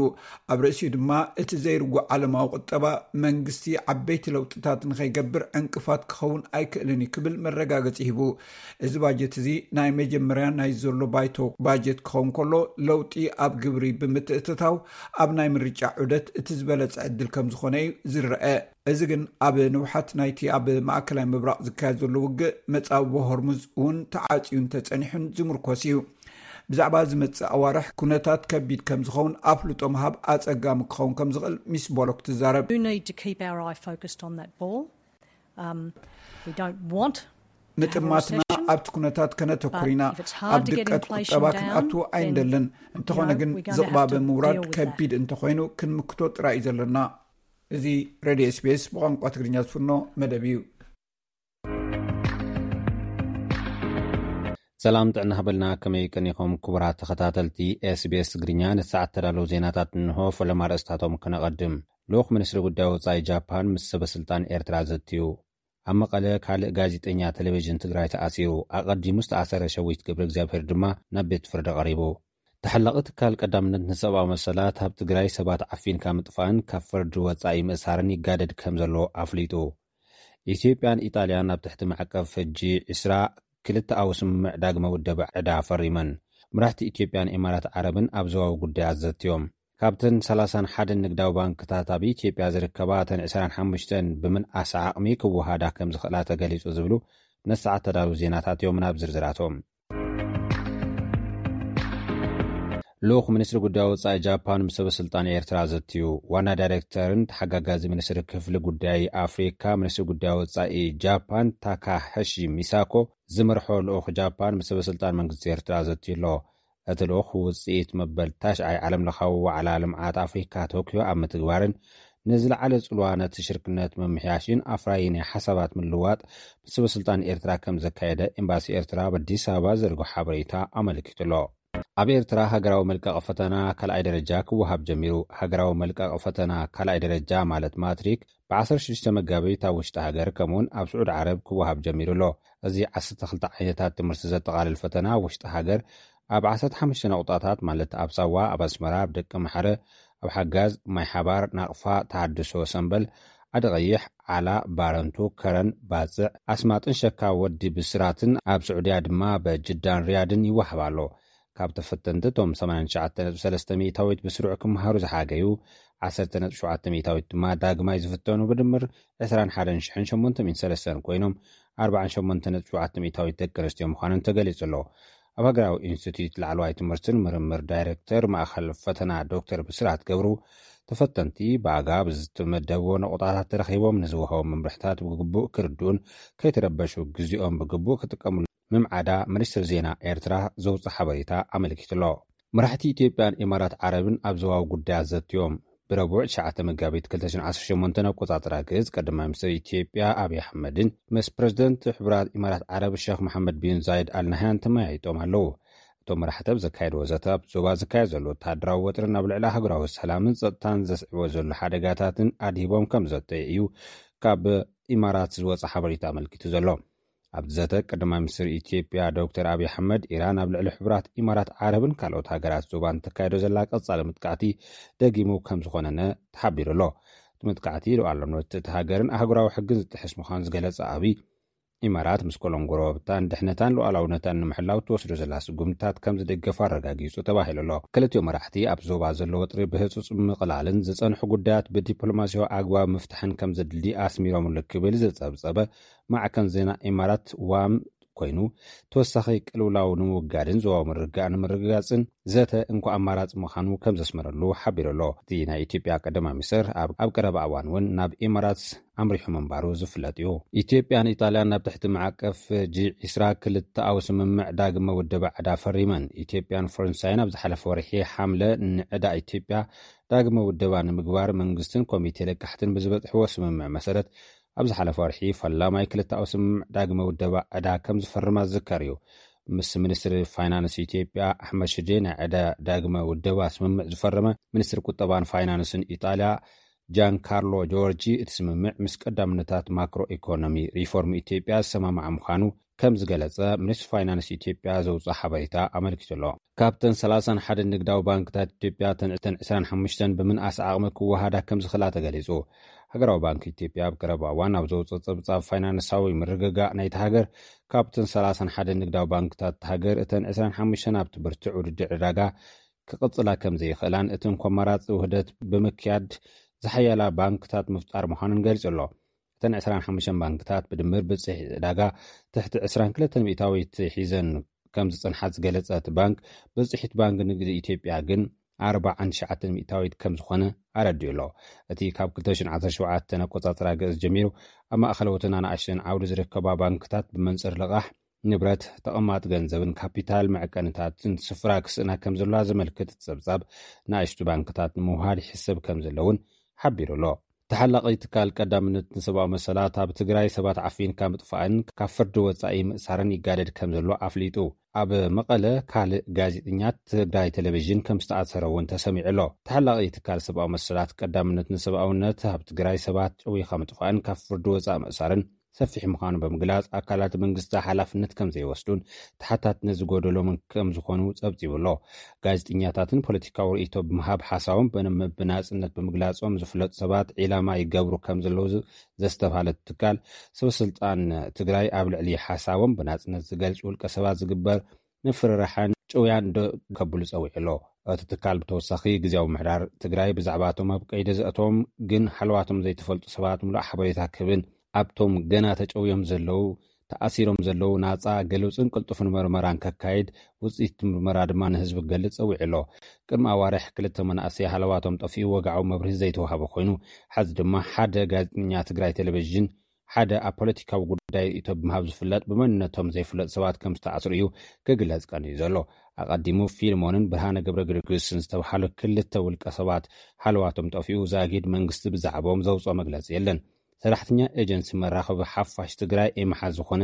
ኣብ ርእሲኡ ድማ እቲ ዘይርጉእ ዓለማዊ ቁጠባ መንግስቲ ዓበይቲ ለውጥታት ንኸይገብር ዕንቅፋት ክኸውን ኣይክእልን እዩ ክብል መረጋገጺ ሂቡ። እዚ ባጀት እዚ ናይ መጀመርያ ናይ ዘሎ ባይቶ ባጀት ክኸውን ከሎ ለውጢ ኣብ ግብሪ ብምትእትታው ኣብ ናይ ምርጫ ዑደት እቲ ዝበለጸ ዕድል ከም ዝኾነ እዩ ዝረአ። እዚ ግን ኣብ ንውሓት ናይቲ ኣብ ማእከላይ ምብራቕ ዝካየድ ዘሎ ውግእ መጻብቦ ሆርሙዝ እውን ተዓጽዩ እንተጸኒሑን ዝምርኮስ እዩ። ብዛዕባ ዝመጽእ ኣዋርሕ ኩነታት ከቢድ ከም ዝኸውን ኣፍልጦ ምሃብ ኣጸጋሚ ክኸውን ከም ዝኽእል ሚስ ቦሎክ ትዛረብ። We need to keep our eye focused on that ball. Um, we don't want ምጥማትና ኣብቲ ኩነታት ከነተኩር ኢና። ኣብ ድቀት ቁጠባ ክንኣቱ ኣይንደልን። እንተኾነ ግን ዝቕባበ ምውራድ ከቢድ እንተኾይኑ ክንምክቶ ጥራይ እዩ ዘለና። እዚ ሬድዮ ኤስቢኤስ ብቋንቋ ትግርኛ ዝፍኖ መደብ እዩ። ሰላም ጥዕና ሃበልና፣ ከመይ ቀኒኹም ክቡራት ተኸታተልቲ ኤስቢኤስ ትግርኛ? ንሰዓት ተዳለዉ ዜናታት እንሆ። ፈለማ ኣርእስታቶም ከነቐድም። ልኡኽ ሚኒስትሪ ጉዳይ ወጻኢ ጃፓን ምስ ሰበ ስልጣን ኤርትራ ዘትዩ። ኣብ መቐለ ካልእ ጋዜጠኛ ቴሌቪዥን ትግራይ ተኣሲሩ። ኣቐዲሙ ዝተኣሰረ ሸዊት ገብረ እግዚኣብሔር ድማ ናብ ቤት ፍርዲ ቀሪቡ። ተሓላቒ ትካል ቀዳምነት ንሰብኣዊ መሰላት ኣብ ትግራይ ሰባት ዓፊንካ ምጥፋእን ካብ ፍርዲ ወጻኢ ምእሳርን ይጋደድ ከም ዘሎ ኣፍሊጡ። ኢትዮጵያን ኢጣልያን ኣብ ትሕቲ ማዕቀብ ሕጂ ዕስራ ክልተኣዊ ስምምዕ ዳግመ ውደባ ዕዳ ፈሪመን። መራሕቲ ኢትዮጵያን ኢማራት ዓረብን ኣብ ዞባዊ ጉዳያት ዘትዮም። ካብተን ሰላሳን ሓደን ንግዳዊ ባንክታት ኣብ ኢትዮጵያ ዝርከባ እተን ዕስራን ሓሙሽተን ብምንኣስ ዓቕሚ ክወሃዳ ከም ዝኽእላ ተገሊጹ ዝብሉ ነሰዓት ተዳለዉ ዜናታት እዮም። ናብ ዝርዝራቶም። ልኡኽ ሚኒስትሪ ጉዳይ ወጻኢ ጃፓን ምስ ሰበ ስልጣን ኤርትራ ዘትዩ። ዋና ዳይሬክተርን ተሓጋጋዚ ሚኒስትሪ ክፍሊ ጉዳይ ኣፍሪካ ሚኒስትሪ ጉዳይ ወጻኢ ጃፓን ታካሃሺ ሚሳኮ ዝመርሖ ልኡኽ ጃፓን ምስ ሰበ ስልጣን መንግስቲ ኤርትራ ዘትዩ ኣሎ። እቲ ልኡኽ ውጽኢት መበል ታሽዓይ ዓለም ለኻዊ ዋዕላ ልምዓት ኣፍሪካ ቶክዮ ኣብ ምትግባርን ንዝለዓለ ጽልዋ ነቲ ሽርክነት ምምሕያሽን ኣፍራዪ ናይ ሓሳባት ምልውዋጥ ምስ ሰበ ስልጣን ኤርትራ ከም ዘካየደ ኤምባሲ ኤርትራ ኣብ ኣዲስ ኣበባ ዘርግሖ ሓበሬታ ኣመልኪቱ ኣሎ። ኣብ ኤርትራ ሃገራዊ መልቀቂ ፈተና ካልኣይ ደረጃ ክወሃብ ጀሚሩ። ሃገራዊ መልቀቂ ፈተና ካልኣይ ደረጃ ማለት ማትሪክ ብ16 መጋቢት ኣብ ውሽጢ ሃገር ከምኡውን ኣብ ስዑድ ዓረብ ክወሃብ ጀሚሩ ኣሎ። እዚ 12 ዓይነታት ትምህርቲ ዘጠቓልል ፈተና ውሽጢ ሃገር ኣብ 15 ነቑጣታት ማለት ኣብ ሳዋ፣ ኣብ ኣስመራ፣ ኣብ ደቂ መሓረ፣ ኣብ ሓጋዝ፣ ማይ ሓባር፣ ናቕፋ፣ ተሃድሶ፣ ሰምበል፣ ዓዲ ቀይሕ፣ ዓላ፣ ባረንቱ፣ ከረን፣ ባጽዕ፣ ኣስማጥን ሸካ ወዲ ብስራትን ኣብ ስዑድያ ድማ በጅዳን ሪያድን ይወሃብ ኣሎ። ካብ ተፈተንቲ እቶም 89.3% ብስሩዕ ክመሃሩ ዝሓገዩ 10.7% ድማ ዳግማይ ዝፍተኑ ብድምር 21,803 ኮይኖም 48.7% ደቂ ኣንስትዮ ምዃነን ተገሊጹ ኣሎ። ኣብ ሃገራዊ ኢንስቲትዩት ላዕለዋይ ትምህርትን ምርምር ዳይሬክተር ማእኸል ፈተና ዶክተር ብስራት ገብሩ ተፈተንቲ ብኣጋብ ዝተመደብዎ ነቑጣታት ተረኺቦም ንዝወሃቦም መምርሕታት ብግቡእ ክርድኡን ከይተረበሹ ግዜኦም ብግቡእ ክጥቀምሉ ምምዓዳ ሚኒስትር ዜና ኤርትራ ዘውፅእ ሓበሬታ ኣመልኪቱ ኣሎ። መራሕቲ ኢትዮጵያን ኢማራት ዓረብን ኣብ ዞባዊ ጉዳያት ዘትዮም። ብረቡዕ ትሽዓተ መጋቢት 2018 ኣቆጻጽራ ግእዝ ቀዳማይ ሚኒስትር ኢትዮጵያ ኣብይ ኣሕመድን ምስ ፕሬዝደንት ሕቡራት ኢማራት ዓረብ ሸኽ መሓመድ ቢን ዛይድ ኣልናህያን ተመያይጦም ኣለዉ። እቶም መራሕቲ ኣብ ዘካየድዎ ዘተ ኣብ ዞባ ዝካየድ ዘሎ ወተሃደራዊ ወጥርን ኣብ ልዕሊ ሃገራዊ ሰላምን ጸጥታን ዘስዕቦ ዘሎ ሓደጋታትን ኣድሂቦም ከም ዘተየ እዩ ካብ ኢማራት ዝወጸ ሓበሬታ ኣመልኪቱ ዘሎ። ኣብቲ ዘተ ቀዳማይ ሚኒስትር ኢትዮጵያ ዶክተር ኣብይ ኣሕመድ ኢራን ኣብ ልዕሊ ሕቡራት ኢማራት ዓረብን ካልኦት ሃገራት ዞባን ተካይዶ ዘላ ቀጻሊ መጥቃዕቲ ደጊሙ ከም ዝኾነነ ተሓቢሩ ኣሎ። እቲ መጥቃዕቲ ሉዓላውነት እቲ ሃገርን ኣህጉራዊ ሕግን ዝጥሕስ ምዃኑ ዝገለጸ ኣብይ ኢማራት ምስ ኮሎን ጎረባብታን ድሕነታን ሉዓላውነታን ንምሕላው ትወስዶ ዘላ ስጉምትታት ከም ዝደገፉ ኣረጋጊጹ ተባሂሉ ኣሎ። ክልቲኡ መራሕቲ ኣብ ዞባ ዘሎ ወጥሪ ብህጹጽ ምቕላልን ዝጸንሑ ጉዳያት ብዲፕሎማሲያዊ ኣግባብ ምፍታሕን ከም ዘድሊ ኣስሚሮምሉ ክብል ዝጸብጸበ ማዕከን ዜና ኢማራት ዋም ኮይኑ ተወሳኺ ቅልውላው ንምውጋድን ዞባዊ ምርግጋእ ንምርግጋጽን ዘተ እንኳ ኣማራጺ ምዃኑ ከም ዘስመረሉ ሓቢሩ ኣሎ። እቲ ናይ ኢትዮጵያ ቀዳማይ ሚኒስትር ኣብ ኣብ ቀረባ እዋን እውን ናብ ኢማራት ኣምሪሑ ምንባሩ ዝፍለጥ እዩ። ኢትዮጵያን ኢጣልያን ናብ ትሕቲ ማዕቀፍ ጂ20 ክልተኣዊ ስምምዕ ዳግመ ውደባ ዕዳ ፈሪመን። ኢትዮጵያን ፈረንሳይን ኣብ ዝሓለፈ ወርሒ ሓምለ ንዕዳ ኢትዮጵያ ዳግመ ውደባ ንምግባር መንግስትን ኮሚቴ ለቃሕትን ብዝበጽሕዎ ስምምዕ መሰረት ኣብ ዝሓለፈ ወርሒ ፈላማይ ክልተኣዊ ስምምዕ ዳግመ ውደባ ዕዳ ከም ዝፈርማ ዝዝከር እዩ። ምስ ሚኒስትሪ ፋይናንስ ኢትዮጵያ ኣሕመድ ሽዴ ናይ ዕዳ ዳግመ ውደባ ስምምዕ ዝፈረመ ሚኒስትሪ ቁጠባን ፋይናንስን ኢጣልያ ጃን ካርሎ ጆርጂ እቲ ስምምዕ ምስ ቀዳምነታት ማክሮ ኢኮኖሚ ሪፎርም ኢትዮጵያ ዝሰማማዕ ምዃኑ ከም ዝገለጸ ሚኒስትሪ ፋይናንስ ኢትዮጵያ ዘውፅኦ ሓበሬታ ኣመልኪቱ ኣሎ። ካብተን 31 ንግዳዊ ባንክታት ኢትዮጵያ እተን 25 ብምንኣስ ዓቕሚ ክወሃዳ ከም ዝኽእላ ተገሊጹ። ሃገራዊ ባንክ ኢትዮጵያ ኣብ ቀረባ እዋን ኣብ ዘውፅኦ ጸብጻብ ፋይናንሳዊ ምርግጋእ ናይቲ ሃገር ካብተን 31 ንግዳዊ ባንክታት ሃገር እተን 25 ኣብቲ ብርቱዕ ውድድር ዕዳጋ ክቕጽላ ከም ዘይኽእላን እቲ እንኮ ኣማራጺ ውህደት ብምክያድ ዝሓያላ ባንክታት ምፍጣር ምዃኑን ገሊጹ ኣሎ። እተን 25 ባንክታት ብድምር ብጽሒት ዕዳጋ ትሕቲ 22% ሒዘን ከም ዝጸንሓ ዝገለጸ እቲ ባንክ፣ ብጽሒት ባንክ ንግዲ ኢትዮጵያ ግን 49% ከም ዝኾነ ኣረዲኡ ኣሎ። እቲ ካብ 2017 ኣቆጻጽራ ግእዝ ጀሚሩ ኣብ ማእኸለዎትን ኣናእሽተን ዓውዲ ዝርከባ ባንክታት ብመንጽር ልቓሕ ንብረት፣ ተቐማጥ ገንዘብን ካፒታል መዐቀንታትን ስፍራ ክስእና ከም ዘለዋ ዘመልክት ጸብጻብ ንኣሽቱ ባንክታት ንምውሃድ ይሕሰብ ከም ዘለውን ሓቢሩ ኣሎ። ተሓላቒ ትካል ቀዳምነት ንሰብኣዊ መሰላት ኣብ ትግራይ ሰባት ዓፊንካ ምጥፋእን ካብ ፍርዲ ወጻኢ ምእሳርን ይጋደድ ከም ዘሎ ኣፍሊጡ። ኣብ መቐለ ካልእ ጋዜጠኛ ትግራይ ቴሌቪዥን ከም ዝተኣሰረ እውን ተሰሚዑ ኣሎ። ተሓላቒ ትካል ሰብኣዊ መሰላት ቀዳምነት ንሰብኣውነት ኣብ ትግራይ ሰባት ጨዊኻ ምጥፋእን ካብ ፍርዲ ወጻኢ ምእሳርን ሰፊሕ ምዃኑ ብምግላጽ ኣካላት መንግስቲ ሓላፍነት ከም ዘይወስዱን ተሓታትነት ዝጎደሎምን ከም ዝኾኑ ጸብጺቡ ኣሎ። ጋዜጠኛታትን ፖለቲካዊ ርእይቶ ብምሃብ ሓሳቦም ብን- ብናጽነት ብምግላጾም ዝፍለጡ ሰባት ዒላማ ይገብሩ ከም ዘለዉ ዝ- ዘስተብሃለት ትካል፣ ሰበስልጣን ትግራይ ኣብ ልዕሊ ሓሳቦም ብናጽነት ዝገልጹ ውልቀ ሰባት ዝግበር ምፍርራሕን ጭውያን ዶ ከብሉ ጸዊዑ ኣሎ። እቲ ትካል ብተወሳኺ ግዜያዊ ምሕዳር ትግራይ ብዛዕባ እቶም ኣብ ቀይዲ ዘእቶም ግን ሃለዋቶም ዘይተፈልጡ ሰባት ምሉእ ሓበሬታ ክህብን ኣብቶም ገና ተጨውዮም ዘለዉ ተኣሲሮም ዘለዉ ናጻ ግሉጽን ቅልጡፍን መርመራን ከካይድ፣ ውጽኢት ምርመራ ድማ ንህዝቢ ክገልጽ ጸዊዑ ኣሎ። ቅድሚ ኣዋርሕ ክልተ መናእሰይ ሃለዋቶም ጠፊኡ ወግዓዊ መብርሂ ዘይተዋህበ ኮይኑ፣ ሐዚ ድማ ሓደ ጋዜጠኛ ትግራይ ቴሌቪዥን ሓደ ኣብ ፖለቲካዊ ጉዳይ ርእይቶ ብምሃብ ዝፍለጥ ብመንነቶም ዘይፍለጥ ሰባት ከም ዝተኣስሩ እዩ ክግለጽ ቀንዩ ዘሎ። ኣቐዲሙ ፊልሞንን ብርሃነ ገብረ ጊዮርጊስን ዝተባሃሉ ክልተ ውልቀ ሰባት ሃለዋቶም ጠፊኡ ዛጊድ መንግስቲ ብዛዕባኦም ዘውፅኦ መግለጺ የለን። ሰራሕተኛ ኤጀንሲ መራኸቢ ሓፋሽ ትግራይ ኤምሓ ዝኾነ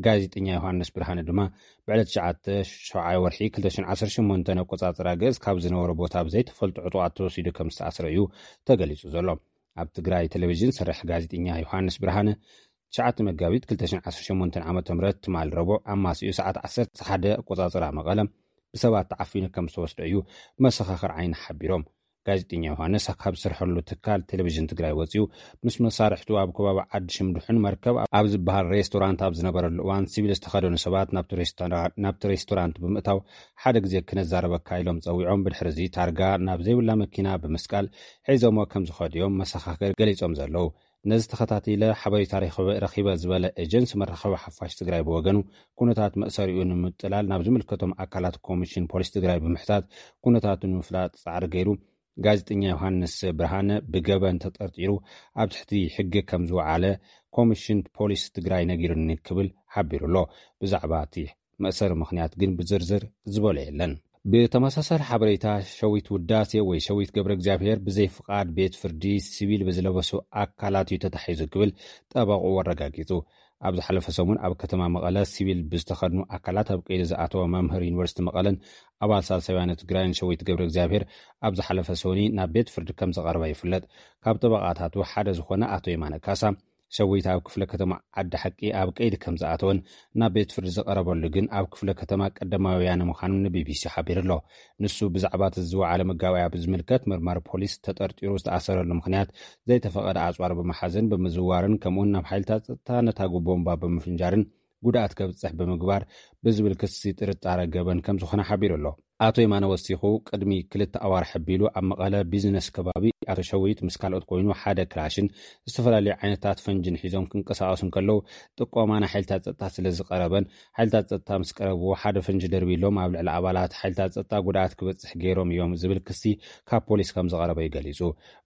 ጋዜጠኛ ዮሃንስ ብርሃነ ድማ ብዕለት ትሽዓተ ሸውዓይ ወርሒ ክልተ ሽሕን ዓሰርተ ሸሞንተን ኣቆጻጽራ ግእዝ ካብ ዝነበሮ ቦታ ብዘይተፈልጡ ዕጡቓት ተወሲዱ ከም ዝተኣስረ እዩ ተገሊጹ ዘሎ። ኣብ ትግራይ ቴሌቪዥን ዝሰርሕ ጋዜጠኛ ዮሃንስ ብርሃነ ትሽዓተ መጋቢት ክልተ ሽሕን ዓሰርተ ሸሞንተን ዓመተ ምህረት ትማል ረቡዕ ኣማስዩ ሰዓት ዓሰርተ ሓደ ኣቆጻጽራ መቐለ ብሰባት ተዓፊኑ ከም ዝተወስደ እዩ መሰኻኽር ዓይኒ ሓቢሮም። ጋዜጠኛ ዮሃንስ ካብ ዝሰርሐሉ ትካል ቴሌቪዥን ትግራይ ወፂኡ ምስ መሳርሕቱ ኣብ ከባቢ ዓዲ ሽምድሑን መርከብ ኣብ ዝበሃል ሬስቶራንት ኣብ ዝነበረሉ እዋን ሲቪል ዝተኸደኑ ሰባት ናብቲ ሬስቶራ-፣ ናብቲ ሬስቶራንት ብምእታው ሓደ ግዜ ክነዛረበካ ኢሎም ፀዊዖም ብድሕሪ እዚ ታርጋ ናብ ዘይብላ መኪና ብምስቃል ሒዞሞ ከም ዝኸዱ እዮም መሰኻኽር ገሊፆም ዘለዉ። ነዚ ተኸታቲለ ሓበሬታ ረኺበ ዝበለ ኤጀንሲ መራኸቢ ሓፋሽ ትግራይ ብወገኑ ኩነታት መእሰሪኡ ንምጥላል ናብ ዝምልከቶም ኣካላት ኮሚሽን ፖሊስ ትግራይ ብምሕታት ኩነታቱ ንምፍላጥ ፃዕሪ ገይሩ። ጋዜጠኛ ዮሃንስ ብርሃነ ብገበን ተጠርጢሩ ኣብ ትሕቲ ሕጊ ከም ዝወዓለ ኮሚሽን ፖሊስ ትግራይ ነጊሩኒ ክብል ሓቢሩ ኣሎ። ብዛዕባ እቲ መእሰሪ ምኽንያት ግን ብዝርዝር ዝበሎ የለን። ብተመሳሳሊ ሓበሬታ ሸዊት ውዳሴ ወይ ሸዊት ገብረ እግዚኣብሔር ብዘይ ፍቓድ ቤት ፍርዲ ሲቪል ብዝለበሱ ኣካላት እዩ ተታሒዙ ክብል ጠበቕኡ ኣረጋጊጹ። ኣብ ዝሓለፈ ሰሙን ኣብ ከተማ መቐለ ሲቪል ብዝተኸድኑ ኣካላት ኣብ ቀይዲ ዝኣተወ መምህር ዩኒቨርሲቲ መቐለን ኣባል ሳልሳይ ወያነ ትግራይን ሸዊት ገብረ እግዚኣብሔር ኣብ ዝሓለፈ ሰኒ ናብ ቤት ፍርዲ ከም ዝቐረበ ይፍለጥ። ካብ ጠበቓታቱ ሓደ ዝኾነ ኣቶ የማነ ካሳ ሸዊት ኣብ ክፍለ ከተማ ዓዲ ሓቂ ኣብ ቀይዲ ከም ዝኣተወን ናብ ቤት ፍርዲ ዝቐረበሉ ግን ኣብ ክፍለ ከተማ ቀዳማዊ ወያነ ምዃኑ ንቢቢሲ ሓቢሩ ኣሎ። ንሱ ብዛዕባ እቲ ዝወዓለ መጋባእያ ብዝምልከት መርማሪ ፖሊስ ተጠርጢሩ ዝተኣሰረሉ ምኽንያት ዘይተፈቐደ ኣፅዋር ብምሓዝን ብምዝዋርን ከምኡውን ናብ ሓይልታት ጸጥታ ነታጉ ቦምባ ብምፍንጃርን ጉድኣት ከብፅሕ ብምግባር ብዝብል ክሲ ጥርጣረ ገበን ከም ዝኾነ ሓቢሩ ኣሎ። ኣቶ የማነ ወሲኹ ቅድሚ ክልተ ኣዋርሕ ኣቢሉ ኣብ መቐለ ቢዝነስ ከባቢ ኣቶ ሸዊት ምስ ካልኦት ኮይኑ ሓደ ክላሽን ዝተፈላለዩ ዓይነታት ፈንጅን ሒዞም ክንቀሳቐሱ እንከለዉ ጥቆማ ናይ ሓይልታት ጸጥታ ስለ ዝቐረበን ሓይልታት ጸጥታ ምስ ቀረብዎ ሓደ ፈንጂ ደርቢሎም ኣብ ልዕሊ ኣባላት ሓይልታት ጸጥታ ጉድኣት ክበጽሕ ገይሮም እዮም ዝብል ክሲ ካብ ፖሊስ ከም ዝቐረበ እዩ ገሊጹ።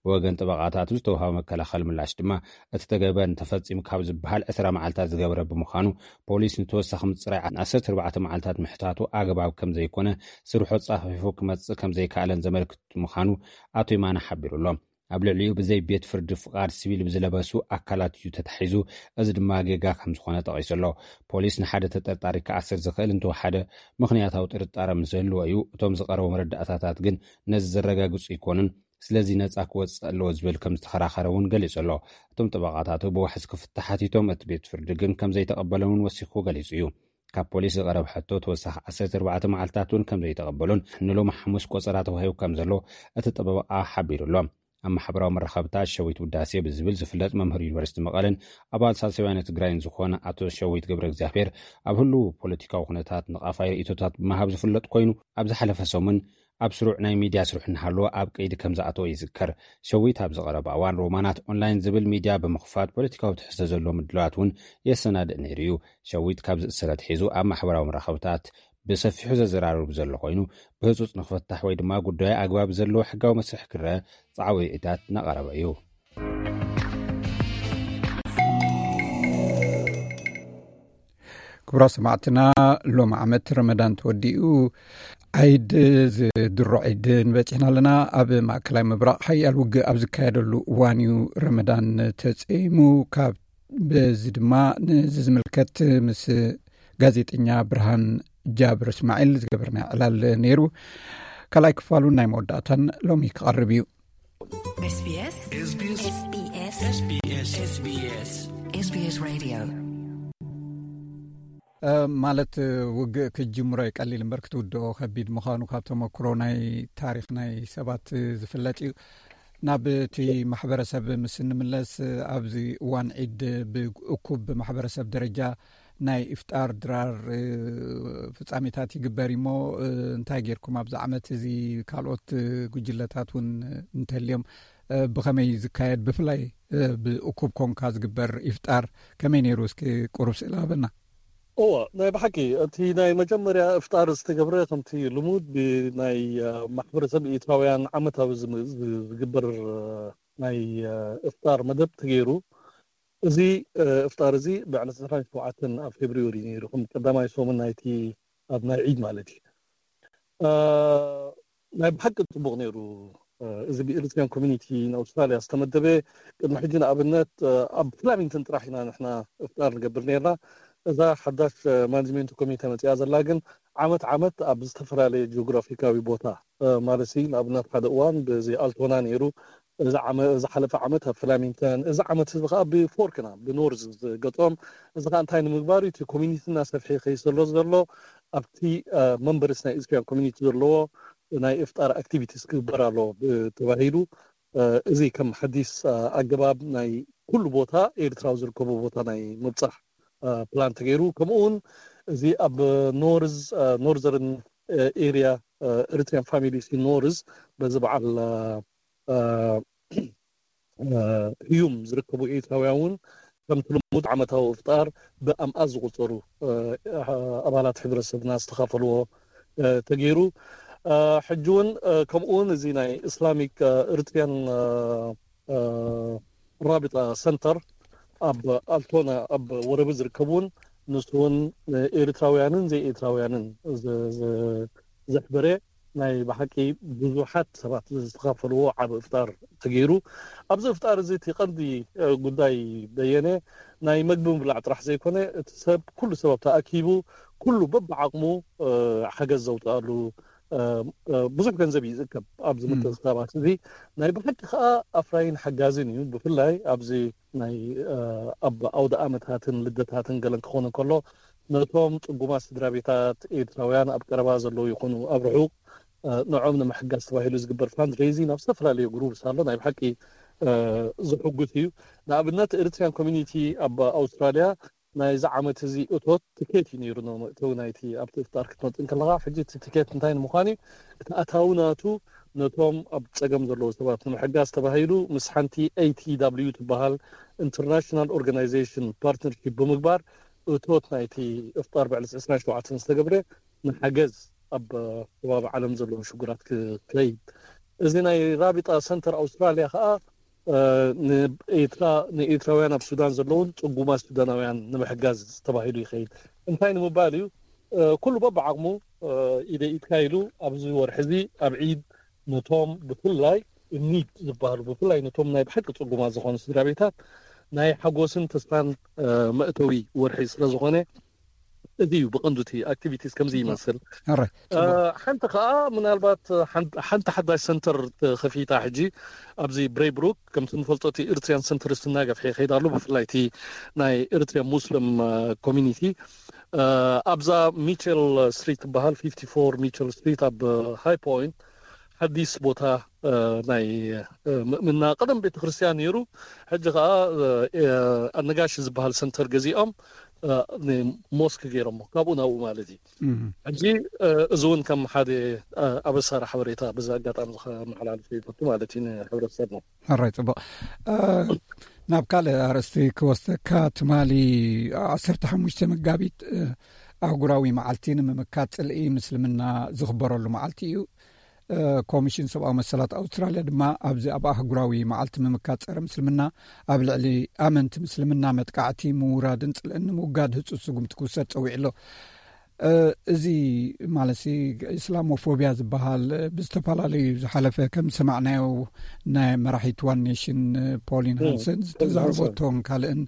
ብወገን ጠበቓታቱ ዝተውሃበ መከላኸሊ ምላሽ ድማ እቲ ተገበን ተፈጺሙ ካብ ዝበሃል ዕስራ መዓልታት ዝገበረ ብምዃኑ ፖሊስ ንተወሳኺ ምጽራይ ዓሰርተ ኣርባዕተ መዓልታት ምሕታቱ ኣግባብ ከም ዘይኮነ ስርሑ ጻፊፉ ክመጽእ ከም ዘይከኣለን ዘመልክት ምዃኑ ኣቶ ይማነ ሓቢሩ ኣሎ። ኣብ ልዕሊኡ ብዘይ ቤት ፍርዲ ፍቓድ ሲቪል ብዝለበሱ ኣካላት እዩ ተታሒዙ፣ እዚ ድማ ጌጋ ከም ዝኾነ ጠቒሱ ኣሎ። ፖሊስ ንሓደ ተጠርጣሪ ክኣስር ዝኽእል እንተወሓደ ምኽንያታዊ ጥርጣረ ምስ ዝህልዎ እዩ። እቶም ዝቐረቡ መረዳእታታት ግን ነዚ ዘረጋግጹ ኣይኮኑን። ስለዚ ነጻ ክወጽእ ኣለዎ ዝብል ከም ዝተኸራኸረ እውን ገሊጹ ኣሎ። እቶም ጠበቓታቱ ብዋሕስ ክፍታሕ ሓቲቶም እቲ ቤት ፍርዲ ግን ከም ዘይተቐበለን እውን ወሲኹ ገሊጹ እዩ። ካብ ፖሊስ ዝቐረብ ሕቶ ተወሳኺ ዓሰርተ ኣርባዕተ መዓልትታት እውን ከም ዘይተቐበሉን ንሎሚ ሓሙስ ቆጸራ ተዋሂቡ ከም ዘሎ እቲ ጠበቓ ሓቢሩ ኣሎ። ኣብ ማሕበራዊ መራኸብታት ሸዊት ውዳሴ ብዝብል ዝፍለጥ መምህር ዩኒቨርሲቲ መቐለን ኣባል ሳልሳይ ወያነ ትግራይን ዝኾነ ኣቶ ሸዊት ገብረ እግዚኣብሔር ኣብ ህልው ፖለቲካዊ ኩነታት ንቓፋይ ርእይቶታት ብምሃብ ዝፍለጥ ኮይኑ ኣብ ዝሓለፈ ሰሙን ኣብ ስሩዕ ናይ ሚድያ ስርሑ እናሃለወ ኣብ ቀይዲ ከም ዝኣተወ ይዝከር። ሸዊት ኣብ ዝቐረበ እዋን ሮማናት ኦንላይን ዝብል ሚድያ ብምኽፋት ፖለቲካዊ ትሕዝቶ ዘለዎ ምድላዋት እውን የሰናድእ ነይሩ እዩ። ሸዊት ካብ ዝእሰር ኣትሒዙ ኣብ ማሕበራዊ መራኸብታት ብሰፊሑ ዘዘራርብ ዘሎ ኮይኑ ብህጹጽ ንክፍታሕ ወይ ድማ ጉዳዩ ኣግባብ ዘለዎ ሕጋዊ መስርሕ ክረአ ጻዕዊ ርእይታት እናቐረበ እዩ። ክቡራት ሰማዕትና፣ ሎሚ ዓመት ረመዳን ተወዲኡ፣ ዓይድ ዝድሮ ዒድ ንበፂሕና ኣለና። ኣብ ማእከላይ ምብራቕ ሓያል ውግእ ኣብ ዝካየደሉ እዋን እዩ ረመዳን ተፀይሙ። ካብ በዚ ድማ ነዚ ዝምልከት ምስ ጋዜጠኛ ብርሃን ጃብር እስማዒል ዝገበርናዮ ዕላል ነይሩ። ካልኣይ ክፋሉን ናይ መወዳእታን ሎሚ ክቐርብ እዩ። SBS SBS SBS SBS SBS Radio። እ፣ ማለት፣ ውግእ ክጅምሮ እዩ ቀሊል እምበር ክትውድኦ ከቢድ ምዃኑ ካብ ተመክሮ ናይ ታሪኽ ናይ ሰባት ዝፍለጥ እዩ። ናብ እቲ ማሕበረሰብ ምስ እንምለስ፣ ኣብዚ እዋን ዒድ ብእኩብ ማሕበረሰብ ደረጃ ናይ ኢፍጣር ድራር፣ እ፣ ፍጻሜታት ይግበር እሞ፣ እ፣ እንታይ ጌርኩም ኣብዚ ዓመት እዚ? ካልኦት፣ እ፣ ጉጅለታት እውን እንተልዮም፣ እ፣ ብኸመይ ዝካየድ፣ ብፍላይ፣ እ፣ ብእኩብ ኮንካ ዝግበር ኢፍጣር ከመይ ነይሩ? እስኪ ቁሩብ ስእሊ ሃበና። እወ፣ ናይ ብሓቂ እቲ ናይ መጀመርያ እፍጣር ዝተገብረ ከምቲ ልሙድ ብናይ፣ እ፣ ማሕበረሰብ ኤርትራውያን ዓመታዊ ዝም-፣ ዝ-፣ ዝግበር፣ እ፣ ናይ፣ እ፣ እፍጣር መደብ ተገይሩ። እዚ፣ እ፣ እፍጣር እዚ ብዕለት ዕስራን ሸውዓተን ኣብ ፌብርዮሪ ነይሩ፣ ከም ቀዳማይ ሰሙን ናይቲ ኣብ ናይ ዒድ ማለት እዩ። እ፣ ናይ ብሓቂ ጽቡቕ ነይሩ። እዚ ብኤሪትሪያን ኮሚኒቲ ንኣውስትራልያ ዝተመደበ። ቅድሚ ሕጂ ንኣብነት ኣብ ፍላሚንግተን ጥራሕ ኢና ንሕና እፍጣር ንገብር ነርና። እዛ ሓዳሽ ማኔጅመንት ኮሚቴ መፅያ ዘላ ግን ዓመት ዓመት ኣብ ዝተፈላለየ ጂኦግራፊካዊ ቦታ ማለት ንኣብነት ሓደ እዋን ብዚ ኣልቶና ነይሩ፣ እዚ ዝሓለፈ ዓመት ኣብ ፍላሚንግተን፣ እዚ ዓመት እዚ ከዓ ብፎርክና ብኖርዝ ዝገጥም። እዚ ከዓ እንታይ ንምግባር እዩ? እቲ ኮሚኒቲ እናሰፍሐ ይኸይድ ዘሎ ዘሎ ኣብቲ መንበርስ ናይ ኤሪትሪያን ኮሚኒቲ ዘለዎ ናይ እፍጣር ኣክቲቪቲስ ክግበር ኣሎ ተባሂሉ። እዚ ከም ሓዲስ ኣገባብ ናይ ኩሉ ቦታ ኤርትራዊ ዝርከቡ ቦታ ናይ ምብፃሕ ፕላን ተገይሩ። ከምኡ እውን እዚ ኣብ ኖርዝ ኖርዘርን ኤሪያ ኤሪትሪያን ፋሚሊስ ኖርዝ በዚ በዓል ህዩም ዝርከቡ ኤርትራውያን እውን ከምቲ ልሙድ ዓመታዊ እፍጣር ብኣምኣት ዝቁፀሩ ኣባላት ሕብረተሰብና ዝተኻፈልዎ ተገይሩ። ሕጂ እውን ከምኡ እውን እዚ ናይ እስላሚክ ኤሪትሪያን ራቢጣ ሰንተር ኣብ ኣልቶና ኣብ ወረቢ ዝርከቡ እውን ንሱ እውን ኤሪትራውያንን ዘይኤሪትራውያንን ዘሕበረ ናይ ብሓቂ ብዙሓት ሰባት ዝተኻፈልዎ ዓብ እፍጣር ተገይሩ። ኣብዚ እፍጣር እዚ እቲ ቀንዲ ጉዳይ በየነ ናይ መግቢ ምብላዕ ጥራሕ ዘይኮነ እቲ ሰብ ኩሉ ሰብ ተኣኪቡ ኩሉ በብዓቕሙ ሓገዝ ዘውፅኣሉ ብዙሕ ገንዘብ እዩ ዝእከብ ኣብዚ ምትእኽኻባት እዚ። ናይ ብሓቂ ከዓ ኣፍራይን ሓጋዝን እዩ። ብፍላይ ኣብዚ ናይ ኣብ ኣውደ ኣመታትን ልደታትን ገለን ክኾነ ከሎ ነቶም ፅጉማት ስድራ ቤታት ኤርትራውያን ኣብ ቀረባ ዘለዉ ይኹኑ ኣብ ርሑቕ ንዖም ንምሕጋዝ ተባሂሉ ዝግበር ፋንድሬዚንግ ኣብ ዝተፈላለዩ ግሩፕስ ኣሎ። ናይ ብሓቂ ዝሕጉስ እዩ። ንኣብነት ኤሪትሪያን ኮሚኒቲ ኣብ ኣውስትራልያ ናይዚ ዓመት እዚ እቶት ትኬት እዩ ነይሩ መእተዊ ናይቲ ኣብቲ እፍጣር ክትመፅእ ከለካ። ሕጂ እቲ ትኬት እንታይ ንምኳን እዩ? እቲ ኣታዊ ናቱ ነቶም ኣብ ፀገም ዘለዉ ሰባት ንምሕጋዝ ተባሂሉ ምስ ሓንቲ ኤ ቲ ደብሊው ትበሃል ኢንተርናሽናል ኦርጋናይዜሽን ፓርትነርሺፕ ብምግባር እቶት ናይቲ እፍጣር ብዕለት ዕስራን ሸውዓተን ዝተገብረ ንሓገዝ ኣብ ከባቢ ዓለም ዘለዉ ሽጉራት ክኸይድ። እዚ ናይ ራቢጣ ሰንተር ኣውስትራልያ ከዓ ንኤርትራ ንኤርትራውያን ኣብ ሱዳን ዘለውን ጽጉማት ሱዳናውያን ንምሕጋዝ ተባሂሉ ይኸይድ። እንታይ ንምባል እዩ? ኩሉ በብዓቕሙ ኢደ ኢድካ ኢሉ ኣብዚ ወርሒ እዚ ኣብ ዒድ ነቶም ብፍላይ ኒድ ዝበሃሉ ብፍላይ ነቶም ናይ ብሓቂ ጽጉማት ዝኾኑ ስድራ ቤታት ናይ ሓጎስን ተስፋን መእተዊ ወርሒ ስለ ዝኾነ እዚ እዩ ብቐንዱ እቲ ኣክቲቪቲስ ከምዚ ይመስል። ሓንቲ ከዓ ምናልባት ሓንቲ ሓዳሽ ሰንተር ተኸፊታ ሕጂ ኣብዚ ብሬይብሩክ ከምቲ ንፈልጦ እቲ ኤርትሪያን ሰንተር እናገፍሐ ይኸይድ ኣሎ። ብፍላይ እቲ ናይ ኤርትሪያን ሙስሊም ኮሚኒቲ ኣብዛ ሚቸል ስትሪት ትበሃል ፊፍቲ ፎር ሚቸል ስትሪት ኣብ ሃይ ፖይንት ሓዲስ ቦታ ናይ ምእምና ቀደም ቤተክርስትያን ነይሩ። ሕጂ ከዓ ኣነጋሽ ዝበሃል ሰንተር ገዚኦም ሞስክ ገይሮሞ ካብኡ ናብኡ ማለት እዩ። ሕጂ እዚ እውን ከም ሓደ ኣበሳሪ ሓበሬታ በዚ ኣጋጣሚ ከመሓላልፍ ይፈቱ ማለት እዩ ንሕብረተሰብና። ሕራይ ጽቡቕ። ናብ ካልእ ኣርእስቲ ክወስደካ፣ ትማሊ ዓሰርተ ሓሙሽተ መጋቢት ኣህጉራዊ መዓልቲ ንምምካት ጽልኢ ምስልምና ዝኽበረሉ መዓልቲ እዩ። ኮሚሽን ሰብኣዊ መሰላት ኣውስትራልያ ድማ ኣብዚ ኣብ ኣህጉራዊ መዓልቲ ምምካት ጸረ ምስልምና ኣብ ልዕሊ ኣመንቲ ምስልምና መጥቃዕቲ ምውራድን ጽልእን ንምውጋድ ህጹጽ ስጉምቲ ክውሰድ ጸዊዑ ኣሎ። እዚ ማለት ኢስላሞፎቢያ ዝበሃል ብዝተፈላለዩ ዝሓለፈ ከም ዝሰማዕናዮ ናይ መራሒት ዋን ኔሽን ፖሊን ሃንሰን ዝተዛረበቶን ካልእን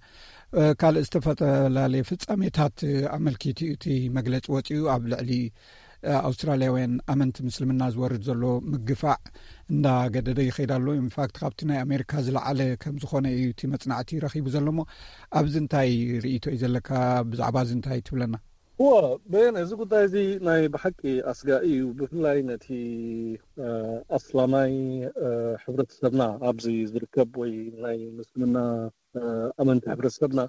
ካልእ ዝተፈላለየ ፍጻሜታት ኣመልኪቱ እዩ እቲ መግለጺ ወጺኡ። ኣብ ልዕሊ ኣውስትራልያውያን ኣመንቲ ምስልምና ዝወርድ ዘሎ ምግፋዕ እንዳገደደ ይኸይድ ኣሎ። ኢንፋክት ካብቲ ናይ ኣሜሪካ ዝለዓለ ከም ዝኾነ እዩ እቲ መጽናዕቲ ረኺቡ ዘሎ። እሞ ኣብዚ እንታይ ርእይቶ እዩ ዘለካ? ብዛዕባ እዚ እንታይ ትብለና? እዎ፣ በየነ፣ እዚ ጉዳይ እዚ ናይ ብሓቂ ኣስጋኢ እዩ። ብፍላይ ነቲ ኣስላማይ ሕብረተሰብና ኣብዚ ዝርከብ ወይ ናይ ምስልምና ኣመንቲ ሕብረተሰብና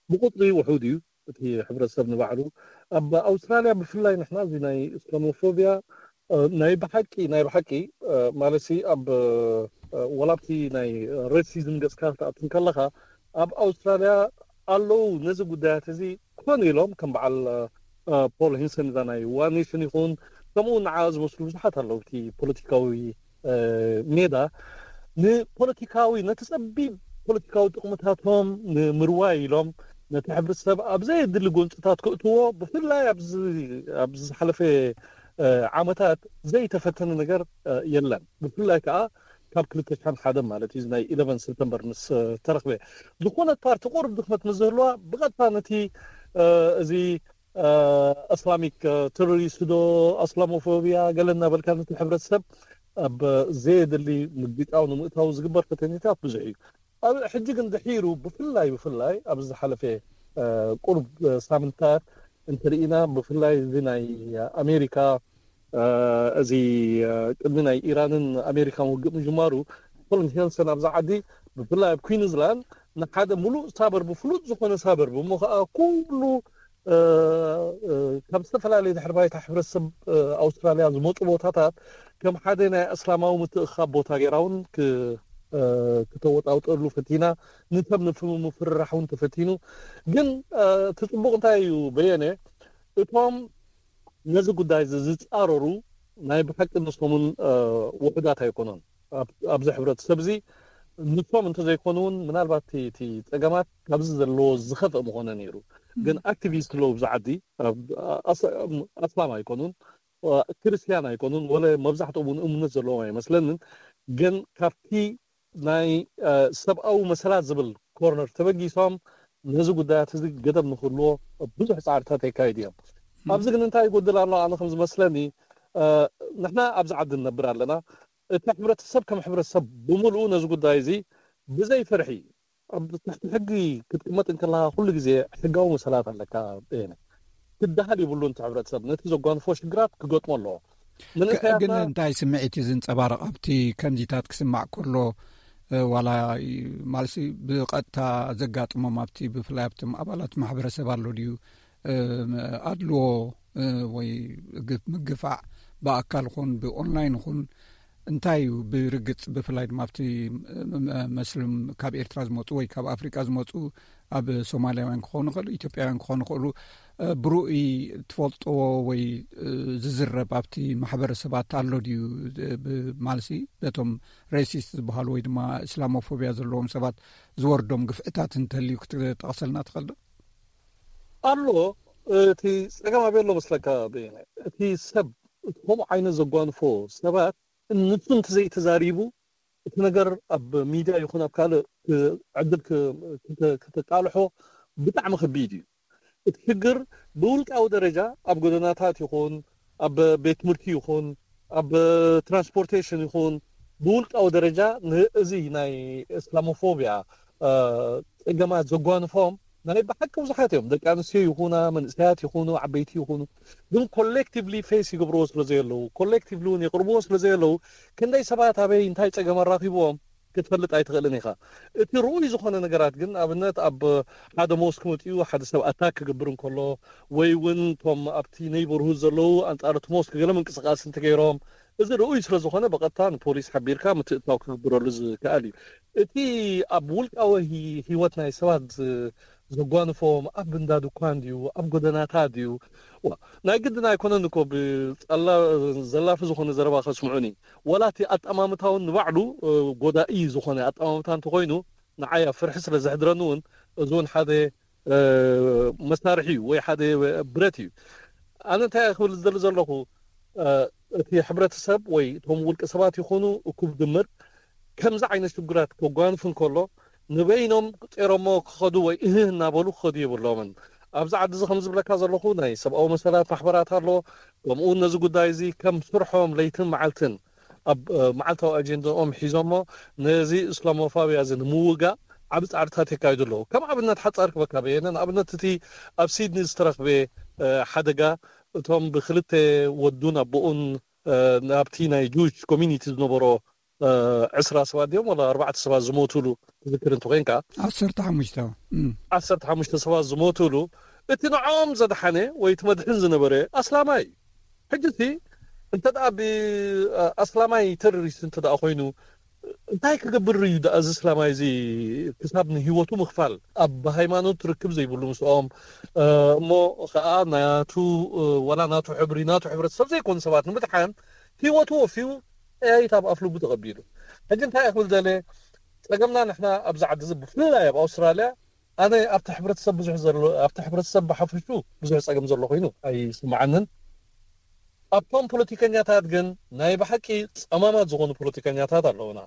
ብቁፅሪ ውሑድ እዩ እቲ ሕብረተሰብ ንባዕሉ። ኣብ ኣውስትራልያ ብፍላይ ንሕና እዚ ናይ እስላሞፎቢያ ናይ ብሓቂ ናይ ብሓቂ ማለት ኣብ ወላብቲ ናይ ሬሲዝም ገፅካ ክትኣቱ ከለካ ኣብ ኣውስትራልያ ኣለዉ ነዚ ጉዳያት እዚ ኮን ኢሎም ከም በዓል ፖል ሂንሰን እዛ ናይ ዋን ኔሽን ይኹን ከምኡ ንዓ ዝመስሉ ብዙሓት ኣለዉ እቲ ፖለቲካዊ ሜዳ ንፖለቲካዊ ነቲ ጸቢብ ፖለቲካዊ ጥቕምታቶም ንምርዋይ ኢሎም ነቲ ሕብረተሰብ ኣብ ዘየድሊ ጎንፅታት ክእትዎ ብፍላይ ኣብዚ ዝሓለፈ ዓመታት ዘይተፈተነ ነገር የለን። ብፍላይ ከዓ ካብ ክልተ ሽሕን ሓደ ማለት እዩ፣ ናይ ኢለቨን ሰፕተምበር ምስ ተረኽበ፣ ዝኾነት ፓርቲ ቁሩብ ድኽመት ምስ ዝህልዋ ብቐጥታ ነቲ እዚ እስላሚክ ተሮሪስት ዶ፣ ኣስላሞፎብያ ገለ እናበልካ ነቲ ሕብረተሰብ ኣብ ዘየድሊ ምግጫው ንምእታው ዝግበር ፈተነታት ብዙሕ እዩ። ኣብ ሕጂ ግን ድሒሩ ብፍላይ ብፍላይ ኣብዚ ዝሓለፈ ቁሩብ ሳምንታት እንተርኢና፣ ብፍላይ እዚ ናይ ኣሜሪካ እዚ ቅድሚ ናይ ኢራንን ኣሜሪካን ውግእ ምጅማሩ፣ ኮሎን ሄልሰን ኣብዛ ዓዲ ብፍላይ ኣብ ኩዊንስላንድ ንሓደ ሙሉእ ሳበርብ፣ ፍሉጥ ዝኾነ ሳበርብ እሞ ከዓ ኩሉ ካብ ዝተፈላለየ ድሕሪ ባይታ ሕብረተሰብ ኣውስትራልያ ዝመፁ ቦታታት ከም ሓደ ናይ እስላማዊ ምትእኻብ ቦታ ገይራ እውን ክተወጣውጠሉ ፈቲና፣ ንሰብ ንምፍርራሕ እውን ተፈቲኑ። ግን እቲ ፅቡቕ እንታይ እዩ በየነ፣ እቶም ነዚ ጉዳይ እዚ ዝፃረሩ ናይ ብሓቂ ንሶምን ውሑዳት ኣይኮኑን። ኣብዚ ሕብረተሰብ እዚ ንሶም እንተዘይኮኑ እውን ምናልባት እቲ ፀገማት ካብዚ ዘለዎ ዝኸፍአ ምኾነ ነይሩ። ግን ኣክቲቪስት ኣለዉ ኣብዚ ዓዲ፣ ኣስላም ኣይኮኑን፣ ክርስትያን ኣይኮኑን፣ ወለ መብዛሕትኦም እውን እምነት ዘለዎም ኣይመስለንን። ግን ካብቲ ናይ ሰብኣዊ መሰላት ዝብል ኮርነር ተበጊሶም ነዚ ጉዳያት እዚ ገደብ ንክህልዎ ብዙሕ ፃዕርታት የካይዱ እዮም። ኣብዚ ግን እንታይ ይጎድል ኣሎ? ኣነ ከም ዝመስለኒ ንሕና ኣብዚ ዓዲ ንነብር ኣለና። እቲ ሕብረተሰብ ከም ሕብረተሰብ ብምሉኡ ነዚ ጉዳይ እዚ ብዘይ ፍርሒ ኣብ ትሕቲ ሕጊ ክትቅመጥ እንከለካ ኩሉ ግዜ ሕጋዊ መሰላት ኣለካ። ክትደሃል ይብሉን እቲ ሕብረተሰብ ነቲ ዘጓንፎ ሽግራት ክገጥሞ ኣለዎ። ግን እንታይ ስምዒት እዩ ዝንፀባረቕ ኣብቲ ከምዚታት ክስማዕ ከሎ? ዋላ ማለት ብቐጥታ ዘጋጥሞም ኣብቲ ብፍላይ ኣብቶም ኣባላት ማሕበረሰብ ኣሎ ድዩ ኣድልዎ ወይ ምግፋዕ ብኣካል ኹን ብኦንላይን ኹን እንታይ እዩ ብርግፅ ብፍላይ ድማ ኣብቲ መስልም ካብ ኤርትራ ዝመፁ ወይ ካብ ኣፍሪቃ ዝመፁ ኣብ ሶማልያውያን ክኾኑ ይኽእሉ ኢትዮጵያውያን ክኾኑ ይኽእሉ ብርኡይ ትፈልጥዎ ወይ ዝዝረብ ኣብቲ ማሕበረሰባት ኣሎ ድዩ? ማለሲ በቶም ሬሲስት ዝበሃሉ ወይ ድማ እስላሞፎብያ ዘለዎም ሰባት ዝወርዶም ግፍዕታት እንተልዩ ክትጠቕሰልና ትኽእል ዶ? ኣሎ። እቲ ፀገም ኣበይ ኣሎ መስለካ? እቲ ሰብ እቲ ከምኡ ዓይነት ዘጓንፎ ሰባት ንሱ እንተዘይተዛሪቡ እቲ ነገር ኣብ ሚድያ ይኹን ኣብ ካልእ ዕድል ክተቃልሖ ብጣዕሚ ከቢድ እዩ። እቲ ሽግር ብውልቃዊ ደረጃ ኣብ ጎደናታት ይኹን ኣብ ቤት ትምህርቲ ይኹን ኣብ ትራንስፖርቴሽን ይኹን ብውልቃዊ ደረጃ ንእዚ ናይ እስላሞፎብያ ፀገማት ዘጓንፎም ናይ ብሓቂ ብዙሓት እዮም። ደቂ ኣንስትዮ ይኹና መንእሰያት ይኹኑ ዓበይቲ ይኹኑ ግን ኮሌክቲቭሊ ፌስ ይገብርዎ ስለ ዘየለዉ ኮሌክቲቭሊ እውን የቕርብዎ ስለ ዘየለዉ ክንደይ ሰባት ኣበይ እንታይ ፀገም ኣራኺብዎም ክትፈልጥ ኣይትኽእልን ኢኻ። እቲ ርኡይ ዝኾነ ነገራት ግን ኣብነት ኣብ ሓደ ሞስክ መፅኡ ሓደ ሰብ ኣታክ ክገብር እንከሎ ወይ እውን እቶም ኣብቲ ኔይበርሁድ ዘለዉ ኣንፃር እቲ ሞስክ ገለ ምንቅስቃስ እንተገይሮም እዚ ርኡይ ስለ ዝኾነ ብቐጥታ ንፖሊስ ሓቢርካ ምትእትታው ክግብረሉ ዝከኣል እዩ። እቲ ኣብ ውልቃዊ ህይወት ናይ ሰባት ዘጓንፎም ኣብ እንዳ ድኳን ድዩ ኣብ ጎደናታት ድዩ ናይ ግድን ኣይኮነን እኮ ብዘላፊ ዝኾነ ዘረባ ከስምዑኒ ዋላ እቲ ኣጠማምታውን ንባዕሉ ጎዳኢ ዝኾነ ኣጠማምታ እንተኮይኑ ንዓያ ፍርሒ ስለ ዘሕድረኒ እውን እዚ እውን ሓደ መሳርሒ እዩ ወይ ሓደ ብረት እዩ። ኣነ እንታይ ክብል ዝደሊ ዘለኹ እቲ ሕብረተሰብ ወይ እቶም ውልቀ ሰባት ይኾኑ እኩብ ድምር ከምዚ ዓይነት ሽጉራት ከጓንፍ እንከሎ ንበይኖም ቄሮሞ ክኸዱ ወይ እህህ እናበሉ ክኸዱ የብሎምን። ኣብዚ ዓዲ እዚ ከም ዝብለካ ዘለኹ ናይ ሰብኣዊ መሰላት ማሕበራት ኣሎ። ከምኡ እውን ነዚ ጉዳይ እዚ ከም ስርሖም ለይትን መዓልትን ኣብ መዓልታዊ ኣጀንዳኦም ሒዞሞ ነዚ እስላሞፋብያ እዚ ንምውጋእ ዓብ ፃዕርታት የካይዱ ኣለዉ። ከም ኣብነት ሓፃር ክበካ በየነ ንኣብነት እቲ ኣብ ሲድኒ ዝተረኽበ ሓደጋ እቶም ብክልተ ወዱን ኣቦኡን ናብቲ ናይ ጁሽ ኮሚኒቲ ዝነበሮ ዕስራ ሰባት ድዮም ወላ ኣርባዕተ ሰባት ዝሞቱሉ ትዝክር እንተኮይንካ ዓሰርተ ሓሙሽተ ዓሰርተ ሓሙሽተ ሰባት ዝሞቱሉ እቲ ንዕኦም ዘድሓነ ወይ እቲ መድሕን ዝነበረ ኣስላማይ እዩ። ሕጂ እቲ እንተ ደኣ ብኣስላማይ ተሮሪስት እንተ ደኣ ኮይኑ እንታይ ክገብር እዩ ደኣ እዚ እስላማይ እዚ ክሳብ ንህይወቱ ምኽፋል ኣብ ሃይማኖት ርክብ ዘይብሉ ምስኦም እሞ ከዓ ናቱ ወላ ናቱ ሕብሪ ናቱ ሕብረተሰብ ዘይኮኑ ሰባት ንምድሓን ህይወቱ ወፍዩ ጠያይት ኣብ ኣፍልቡ ተቐቢሉ። ሕጂ እንታይ ክብል ደለ ጸገምና ንሕና ኣብዚ ዓዲ እዚ ብፍላይ ኣብ ኣውስትራልያ ኣነ ኣብቲ ሕብረተሰብ ብዙሕ ዘሎ ኣብቲ ሕብረተሰብ ብሓፈሹ ብዙሕ ጸገም ዘሎ ኮይኑ ኣይስምዓንን። ኣብቶም ፖለቲከኛታት ግን ናይ ብሓቂ ጸማማት ዝኾኑ ፖለቲከኛታት ኣለውና።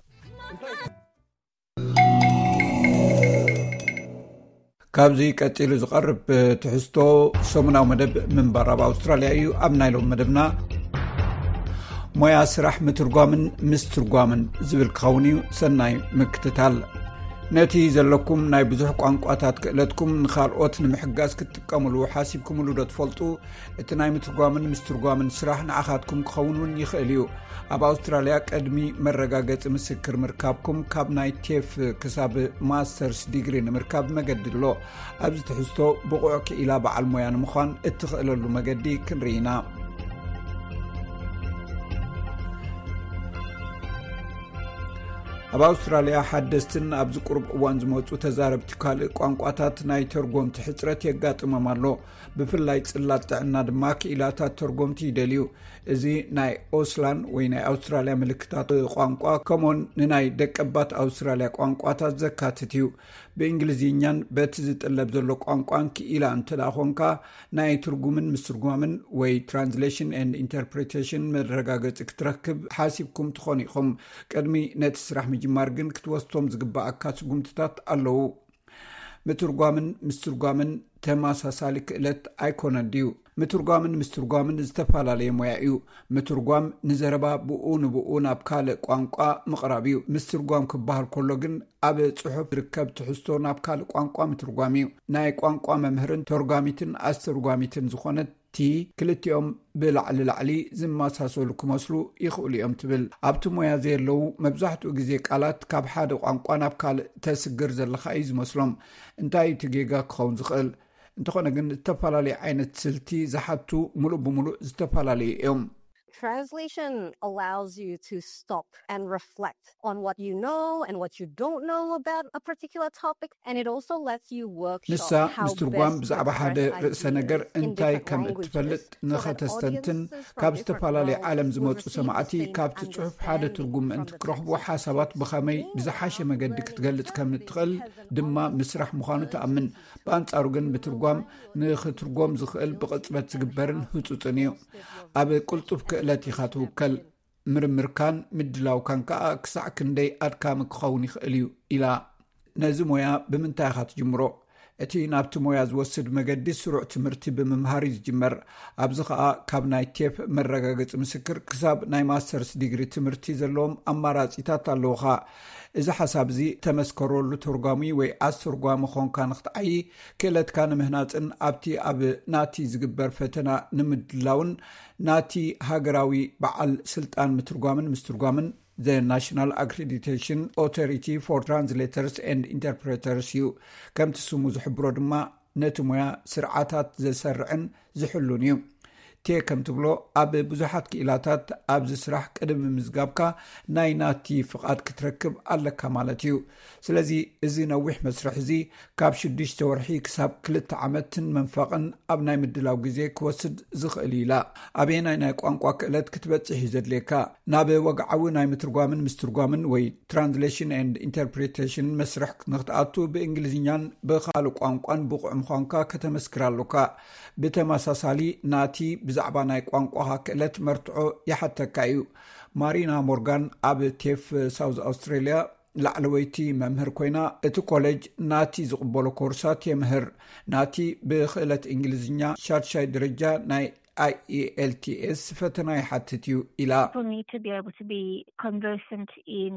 ካብዚ ቀጺሉ ዝቐርብ ትሕዝቶ ሰሙናዊ መደብ ምንባር ኣብ ኣውስትራልያ እዩ። ኣብ ናይ ሎም መደብና ሞያ ስራሕ ምትርጓምን ምስትርጓምን ዝብል ክኸውን እዩ። ሰናይ ምክትታል። ነቲ ዘለኩም ናይ ብዙሕ ቋንቋታት ክእለትኩም ንኻልኦት ንምሕጋዝ ክትጥቀምሉ ሓሲብኩምሉ ዶ ትፈልጡ? እቲ ናይ ምትርጓምን ምስትርጓምን ስራሕ ንዓኻትኩም ክኸውን እውን ይኽእል እዩ። ኣብ ኣውስትራልያ ቅድሚ መረጋገጺ ምስክር ምርካብኩም ካብ ናይ ቴፍ ክሳብ ማስተርስ ዲግሪ ንምርካብ መገዲ ኣሎ። ኣብዚ ትሕዝቶ ብቑዕ ክኢላ በዓል ሞያ ንምዃን እትኽእለሉ መገዲ ክንርኢ ኢና። ኣብ ኣውስትራልያ ሓደስትን ኣብዚ ቁሩብ እዋን ዝመጹ ተዛረብቲ ካልእ ቋንቋታት ናይ ተርጎምቲ ሕጽረት የጋጥሞም ኣሎ። ብፍላይ ጽላት ጥዕና ድማ ክኢላታት ተርጎምቲ ይደልዩ። እዚ ናይ ኦስላን ወይ ናይ ኣውስትራልያ ምልክታት ቋንቋ ከምኡን ንናይ ደቀባት ኣውስትራልያ ቋንቋታት ዘካትት እዩ። ብእንግሊዝኛን በቲ ዝጥለብ ዘሎ ቋንቋን ክኢላ እንተ ደኣ ኾንካ ናይ ትርጉምን ምስትርጓምን ወይ ትራንስሌሽን ኤንድ ኢንተርፕሬቴሽን መረጋገጺ ክትረክብ ሓሲብኩም ትኾኑ ኢኹም። ቅድሚ ነቲ ስራሕ ምጅማር ግን ክትወስቶም ዝግባኣካ ስጉምትታት ኣለዉ። ምትርጓምን ምስትርጓምን ተመሳሳሊ ክእለት ኣይኮነን ድዩ? ምትርጓምን ምስትርጓምን ዝተፈላለየ ሞያ እዩ። ምትርጓም ንዘረባ ብኡ ንብኡ ናብ ካልእ ቋንቋ ምቕራብ እዩ። ምስትርጓም ክበሃል ከሎ ግን ኣብ ጽሑፍ ዝርከብ ትሕዝቶ ናብ ካልእ ቋንቋ ምትርጓም እዩ። ናይ ቋንቋ መምህርን ተርጓሚትን ኣስተርጓሚትን ዝኾነት ቲ ክልቲኦም ብላዕሊ ላዕሊ ዝመሳሰሉ ክመስሉ ይኽእሉ እዮም ትብል። ኣብቲ ሞያ ዘየለዉ መብዛሕትኡ ግዜ ቃላት ካብ ሓደ ቋንቋ ናብ ካልእ ተስግር ዘለኻ እዩ ዝመስሎም። እንታይ እዩ እቲ ጌጋ ክኸውን ዝኽእል? እንተኾነ ግን ዝተፈላለዩ ዓይነት ስልቲ ዝሓቱ ምሉእ ብምሉእ ዝተፈላለዩ እዮም። Translation allows you to stop and reflect on what you know and what you don't know about a particular topic, and it also lets you workshop ንሳ how ምስትርጓም best to ብዛዕባ ሓደ express ርእሰ ነገር ideas in እንታይ different ከም languages, እትፈልጥ so that ንኸተስተንትን audiences from ካብ different ዝተፈላለየ roles ዓለም will ዝመፁ receive ሰማዕቲ the same ካብቲ ፅሑፍ ሓደ understanding ትርጉም from the እንትክረኽቡ text. ሓሳባት ብኸመይ ብዝሓሸ መገዲ ክትገልፅ ከም እትኽእል ድማ ምስራሕ ምዃኑ ትኣምን። ብኣንጻሩ ግን ምትርጓም ንኽትርጎም ዝኽእል ብቕጽበት ዝግበርን ህጹጽን እዩ። ኣብ ቅልጡፍ ክእለት ኢኻ ትውከል። ምርምርካን ምድላውካን ከኣ ክሳዕ ክንደይ ኣድካሚ ክኸውን ይኽእል እዩ ኢላ። ነዚ ሞያ ብምንታይ ኢኻ ትጅምሮ? እቲ ናብቲ ሞያ ዝወስድ መገዲ ስሩዕ ትምህርቲ ብምምሃር እዩ ዝጅመር። ኣብዚ ኸኣ ካብ ናይ ቴፕ መረጋገጺ ምስክር ክሳብ ናይ ማስተርስ ዲግሪ ትምህርቲ ዘለዎም ኣማራጺታት ኣለውኻ። እዚ ሓሳብ እዚ ተመስከረሉ ተርጓሚ ወይ ኣስተርጓሚ ኾንካ ንኽትዓዪ ክእለትካ ንምህናጽን ኣብቲ ኣብ ናቲ ዝግበር ፈተና ንምድላውን ናቲ ሃገራዊ በዓል ስልጣን ምትርጓምን ምስትርጓምን The National Accreditation Authority for Translators and Interpreters እዩ። ከምቲ ስሙ ዝሕብሮ ድማ ነቲ ሞያ ስርዓታት ዘሰርዕን ዝሕሉን እዩ። ቴ ከም ትብሎ ኣብ ብዙሓት ክኢላታት ኣብዚ ስራሕ ቅድሚ ምዝጋብካ ናይ ናቲ ፍቓድ ክትረክብ ኣለካ ማለት እዩ። ስለዚ እዚ ነዊሕ መስርሕ እዚ ካብ ሽዱሽተ ወርሒ ክሳብ ክልተ ዓመትን መንፈቕን ኣብ ናይ ምድላው ግዜ ክወስድ ዝኽእል እዩ ኢላ። ኣበየናይ ናይ ቋንቋ ክእለት ክትበጽሕ እዩ ዘድልየካ? ናብ ወግዓዊ ናይ ምትርጓምን ምስትርጓምን ወይ ትራንስሌሽን ኤንድ ኢንተርፕሬቴሽን መስርሕ ንክትኣቱ ብእንግሊዝኛን ብኻልእ ቋንቋን ብቑዕ ምዃንካ ከተመስክር ኣሎካ። ብተመሳሳሊ ናቲ ብዛዕባ ናይ ቋንቋኻ ክእለት መርትዖ ይሓተካ እዩ። ማሪና ሞርጋን ኣብ ቴፍ ሳውዝ ኣውስትሬልያ ላዕለወይቲ መምህር ኮይና እቲ ኮሌጅ ናቲ ዝቕበሎ ኮርሳት የምህር። ናቲ ብክእለት እንግሊዝኛ ሻድሻይ ደረጃ ናይ IELTS ፈተና ይሓትት እዩ ኢላ። People need to be able to be conversant in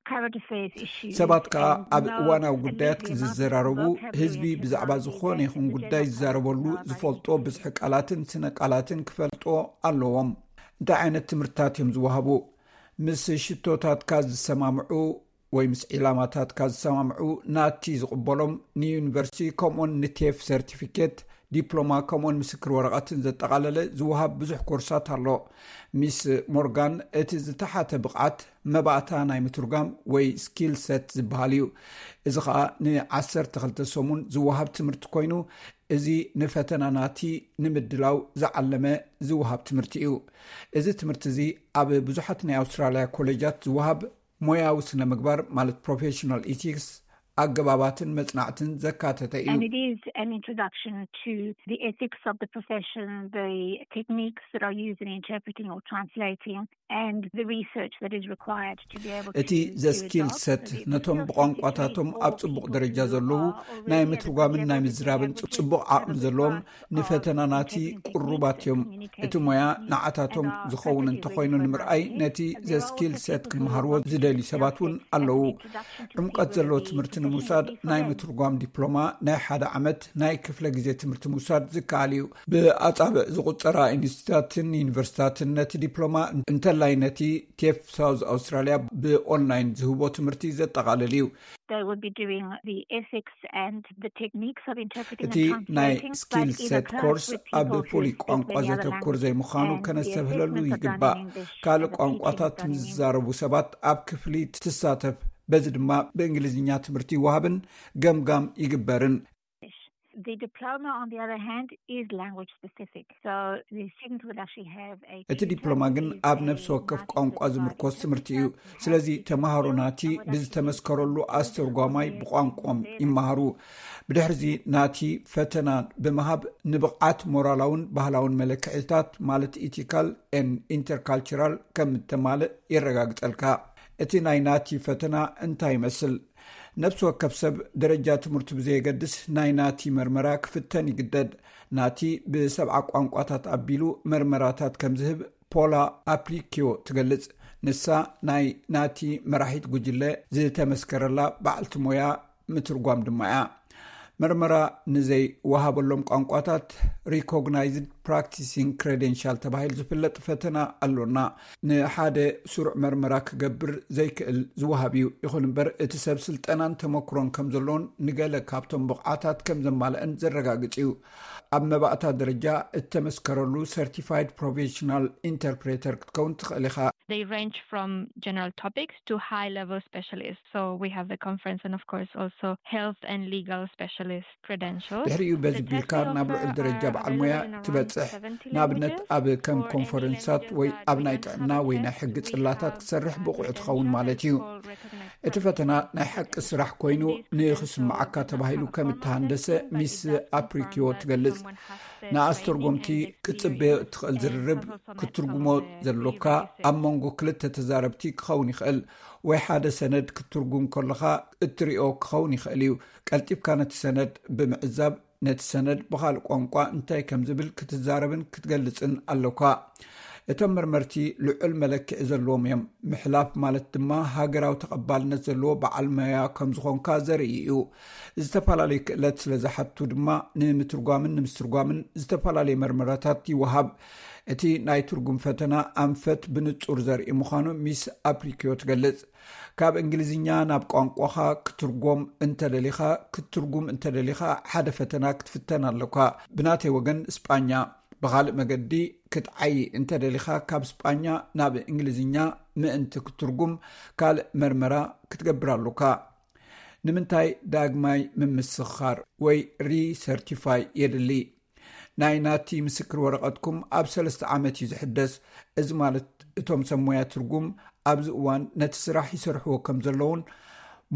current affairs issues. ሰባት ከኣ and ኣብ know እዋናዊ and ጉዳያት read the amount of ክዝዘራረቡ vocabulary ህዝቢ and ብዛዕባ terminology ዝኾነ that ይኹን the ጉዳይ general ዝዛረበሉ public are ዝፈልጦ likely to ብዝሒ ቃላትን ስነ ቃላትን ክፈልጦ ኣለዎም። እንታይ ዓይነት ትምህርታት እዮም ዝወሃቡ? ምስ ሽቶታትካ ዝሰማምዑ ወይ ምስ ዒላማታትካ ዝሰማምዑ ናቲ ዝቕበሎም ንዩኒቨርሲቲ ከምኡውን ንቴፍ ሰርቲፊኬት፣ ዲፕሎማ ከምኡውን ምስክር ወረቐትን ዘጠቓለለ ዝወሃብ ብዙሕ ኮርሳት ኣሎ። ሚስ ሞርጋን እቲ ዝተሓተ ብቕዓት መባእታ ናይ ምትርጓም ወይ ስኪል ሰት ዝበሃል እዩ። እዚ ኸኣ ንዓሰርተ ክልተ ሰሙን ዝወሃብ ትምህርቲ ኮይኑ እዚ ንፈተና ናቲ ንምድላው ዝዓለመ ዝወሃብ ትምህርቲ እዩ። እዚ ትምህርቲ እዚ ኣብ ብዙሓት ናይ ኣውስትራልያ ኮሌጃት ዝወሃብ ሞያዊ ስነ ምግባር ማለት ፕሮፌሽናል ኢቲክስ ኣገባባትን መጽናዕትን ዘካተተ እዩ። And it is an introduction to the ethics of the profession, the techniques that are used in interpreting or translating, and the research that is required to be able to እቲ ዘ ስኪል ሰት ነቶም ብቋንቋታቶም ኣብ ጽቡቕ ደረጃ ዘለዉ ናይ ምትርጓምን ናይ ምዝራብን ጽቡቕ ዓቕሚ ዘለዎም ንፈተና ናቲ ቅሩባት እዮም። እቲ ሞያ ንዓታቶም ዝኸውን እንተኾይኑ ንምርኣይ ነቲ ዘ ስኪል ሰት ክመሃርዎ ዝደልዩ ሰባት እውን ኣለዉ። ዕምቀት ዘለዎ ትምህርቲ ንምውሳድ ናይ ምትርጓም ዲፕሎማ ናይ ሓደ ዓመት ናይ ክፍለ ግዜ ትምህርቲ ምውሳድ ዝከኣል እዩ። ብኣጻብዕ ዝቑጸራ ኢንስቲትዩታትን ዩኒቨርሲታትን ነቲ ዲፕሎማ እንተላይ ነቲ ቴፍ ሳውዝ ኣውስትራሊያ ብኦንላይን ዝህቦ ትምህርቲ ዘጠቓልል እዩ። They will be doing the ethics and the techniques of interpreting እቲ ናይ ስኪል ሰት ኮርስ ኣብ ፍሉይ ቋንቋ ዘተኩር ዘይምዃኑ ከነስተብህለሉ ይግባእ። ካልእ ቋንቋታት ምስ ዝዛረቡ ሰባት ኣብ ክፍሊ ትሳተፍ፣ በዚ ድማ ብእንግሊዝኛ ትምህርቲ ይወሃብን ገምጋም ይግበርን። The diploma, on the other hand, is language specific. So the students will actually have a እቲ ዲፕሎማ ግን ኣብ ነፍሲ ወከፍ ቋንቋ ዝምርኮስ ትምህርቲ እዩ። ስለዚ ተምሃሮ ናቲ ብዝተመስከረሉ ኣስተርጓማይ ብቋንቋም ይመሃሩ። ብድሕርዚ ናቲ ፈተና ብምሃብ ንብቕዓት ሞራላውን ባህላውን መለክዒታት ማለት ኢቲካል ን ኢንተርካልቸራል ከም እተማልእ የረጋግጸልካ። እቲ ናይ ናቲ ፈተና እንታይ ይመስል? ነፍሲ ወከፍ ሰብ ደረጃ ትምህርቱ ብዘየገድስ ናይ ናቲ መርመራ ክፍተን ይግደድ። ናቲ ብሰብዓ ቋንቋታት ኣቢሉ መርመራታት ከም ዝህብ ፖላ ኣፕሪኪዮ ትገልጽ። ንሳ ናይ ናቲ መራሒት ጉጅለ ዝተመስከረላ በዓልቲ ሞያ ምትርጓም ድማ እያ። መርመራ ንዘይ ወሃበሎም ቋንቋታት ሪኮግናይዝድ ፕራክቲሲንግ ክሬደንሻል ተባሂሉ ዝፍለጥ ፈተና ኣሎና። ንሓደ ስሩዕ መርመራ ክገብር ዘይክእል ዝወሃብ እዩ። ይኹን እምበር እቲ ሰብ ስልጠናን ተመክሮን ከም ዘሎን ንገለ ካብቶም ብቕዓታት ከም ዘማልአን ዘረጋግጽ እዩ። ኣብ መባእታ ደረጃ እተመስከረሉ ሰርቲፋይድ ፕሮፌሽናል ኢንተርፕሬተር ክትከውን ትኽእል ኢኻ። They range from general topics to high level specialists. So we have the conference and of course also health and legal specialist credentials. ድሕሪኡ በዚ ቢልካ ናብ ልዑል ደረጃ በዓል ሞያ ትበጽሕ። ንኣብነት ኣብ ከም ኮንፈረንሳት ወይ ኣብ ናይ ጥዕና ወይ ናይ ሕጊ ጽላታት ክትሰርሕ ብቑዕ ትኸውን ማለት እዩ። እቲ ፈተና ናይ ሓቂ ስራሕ ኮይኑ ንኽስምዓካ ተባሂሉ ከም እተሃንደሰ ሚስ ኣፕሪኪዮ ትገልጽ። ንኣስተርጎምቲ ክትጽበዮ እትኽእል ዝርርብ ክትትርጉሞ ዘሎካ ኣብ መንጎ ክልተ ተዛረብቲ ክኸውን ይኽእል፣ ወይ ሓደ ሰነድ ክትትርጉም ከለኻ እትሪኦ ክኸውን ይኽእል እዩ። ቀልጢፍካ ነቲ ሰነድ ብምዕዛብ ነቲ ሰነድ ብኻልእ ቋንቋ እንታይ ከም ዝብል ክትዛረብን ክትገልጽን ኣሎካ። እቶም መርመርቲ ልዑል መለክዒ ዘለዎም እዮም። ምሕላፍ ማለት ድማ ሃገራዊ ተቐባልነት ዘለዎ በዓል መያ ከም ዝኾንካ ዘርኢ እዩ። ዝተፈላለዩ ክእለት ስለ ዝሓቱ ድማ ንምትርጓምን ንምስትርጓምን ዝተፈላለዩ መርመራታት ይወሃብ። እቲ ናይ ትርጉም ፈተና ኣንፈት ብንጹር ዘርኢ ምዃኑ ሚስ ኣፕሪኪዮ ትገልጽ። ካብ እንግሊዝኛ ናብ ቋንቋኻ ክትርጎም እንተደሊኻ ክትትርጉም እንተደሊኻ ሓደ ፈተና ክትፍተን ኣለኳ። ብናተይ ወገን ስጳኛ። ብኻልእ መገዲ ክትዓይ እንተደሊኻ ካብ ስጳኛ ናብ እንግሊዝኛ ምእንቲ ክትትርጉም ካልእ መርመራ ክትገብር ኣለካ። ንምንታይ ዳግማይ ምምስኻር ወይ ሪሰርቲፋይ የድሊ? ናይ ናቲ ምስክር ወረቐትኩም ኣብ ሰለስተ ዓመት እዩ ዝሕደስ። እዚ ማለት እቶም ሰብ ሞያ ትርጉም ኣብዚ እዋን ነቲ ስራሕ ይሰርሕዎ ከም ዘለውን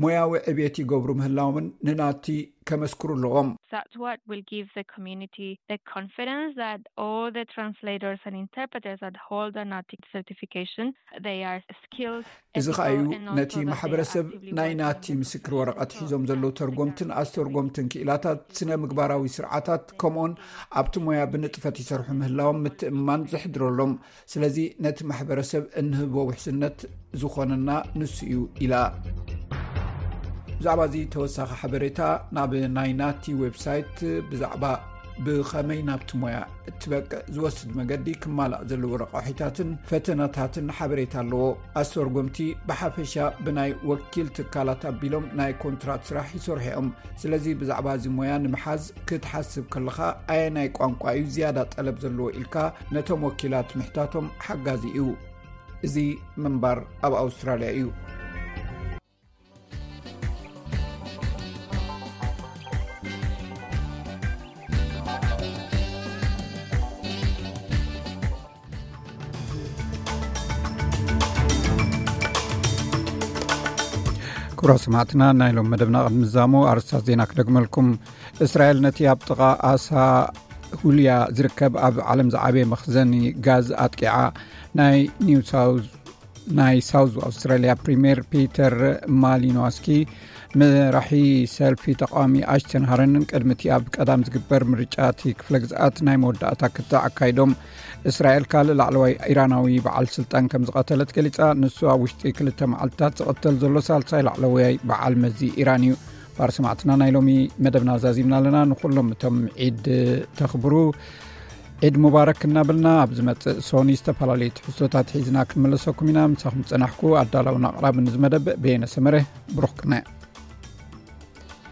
ሞያዊ ዕብየት ይገብሩ ምህላውን ንናቲ ከመስክሩ ኣለዎም። That's what will give the community the confidence that all the translators and interpreters that hold a NAATI certification, they are skilled. እዚ ኸኣ እዩ ነቲ ማሕበረሰብ ናይ ናቲ ምስክር ወረቐት ሒዞም ዘለዉ ተርጎምትን ኣስተርጎምትን ክኢላታት ስነ ምግባራዊ ስርዓታት ከምኡን ኣብቲ ሞያ ብንጥፈት ይሰርሑ ምህላዎም ምትእምማን ዘሕድረሎም። ስለዚ ነቲ ማሕበረሰብ እንህቦ ውሕስነት ዝኾነና ንሱ እዩ ኢላ። ብዛዕባ እዚ ተወሳኺ ሓበሬታ ናብ ናይ ናቲ ዌብሳይት ብዛዕባ ብኸመይ ናብቲ ሞያ እትበቅዕ ዝወስድ መገዲ ክማላእ ዘለዎ ረቋሒታትን ፈተናታትን ሓበሬታ ኣለዎ። ኣስተርጎምቲ ብሓፈሻ ብናይ ወኪል ትካላት ኣቢሎም ናይ ኮንትራት ስራሕ ይሰርሑ እዮም። ስለዚ ብዛዕባ እዚ ሞያ ንምሓዝ ክትሓስብ ከለኻ ኣየናይ ቋንቋ እዩ ዝያዳ ጠለብ ዘለዎ ኢልካ ነቶም ወኪላት ምሕታቶም ሓጋዚ እዩ። እዚ ምንባር ኣብ ኣውስትራልያ እዩ። ክቡራት ሰማዕትና፣ ናይ ሎም መደብና ቅድሚ ምዛሙ ኣርስታት ዜና ክደግመልኩም። እስራኤል ነቲ ኣብ ጥቓ ኣሳ ሁልያ ዝርከብ ኣብ ዓለም ዝዓበየ መኽዘኒ ጋዝ ኣጥቂዓ። ናይ ኒው ሳውዝ ናይ ሳውዝ ኣውስትራሊያ ፕሪምየር ፒተር ማሊኖስኪ፣ መራሒ ሰልፊ ተቃዋሚ ኣሽተን ሃረንን ቅድሚ እቲ ኣብ ቀዳም ዝግበር ምርጫ እቲ ክፍለ ግዝኣት ናይ መወዳእታ ክትዕ ኣካይዶም። እስራኤል ካልእ ላዕለዋይ ኢራናዊ በዓል ስልጣን ከም ዝቐተለት ገሊጻ። ንሱ ኣብ ውሽጢ ክልተ መዓልትታት ዝቐተል ዘሎ ሳልሳይ ላዕለዋይ በዓል መዚ ኢራን እዩ። ባር ሰማዕትና፣ ናይ ሎሚ መደብና ዛዚምና ኣለና። ንኩሎም እቶም ዒድ ተኽብሩ ዒድ ሙባረክ እናበልና፣ ኣብ ዝመጽእ ሶኒ ዝተፈላለዩ ትሕዝቶታት ሒዝና ክንመለሰኩም ኢና። ምሳኹም ጸናሕኩ ኣዳላውን ኣቕራብን እዚ መደብ በየነ ሰመረ። ብሩኽ ቅነ።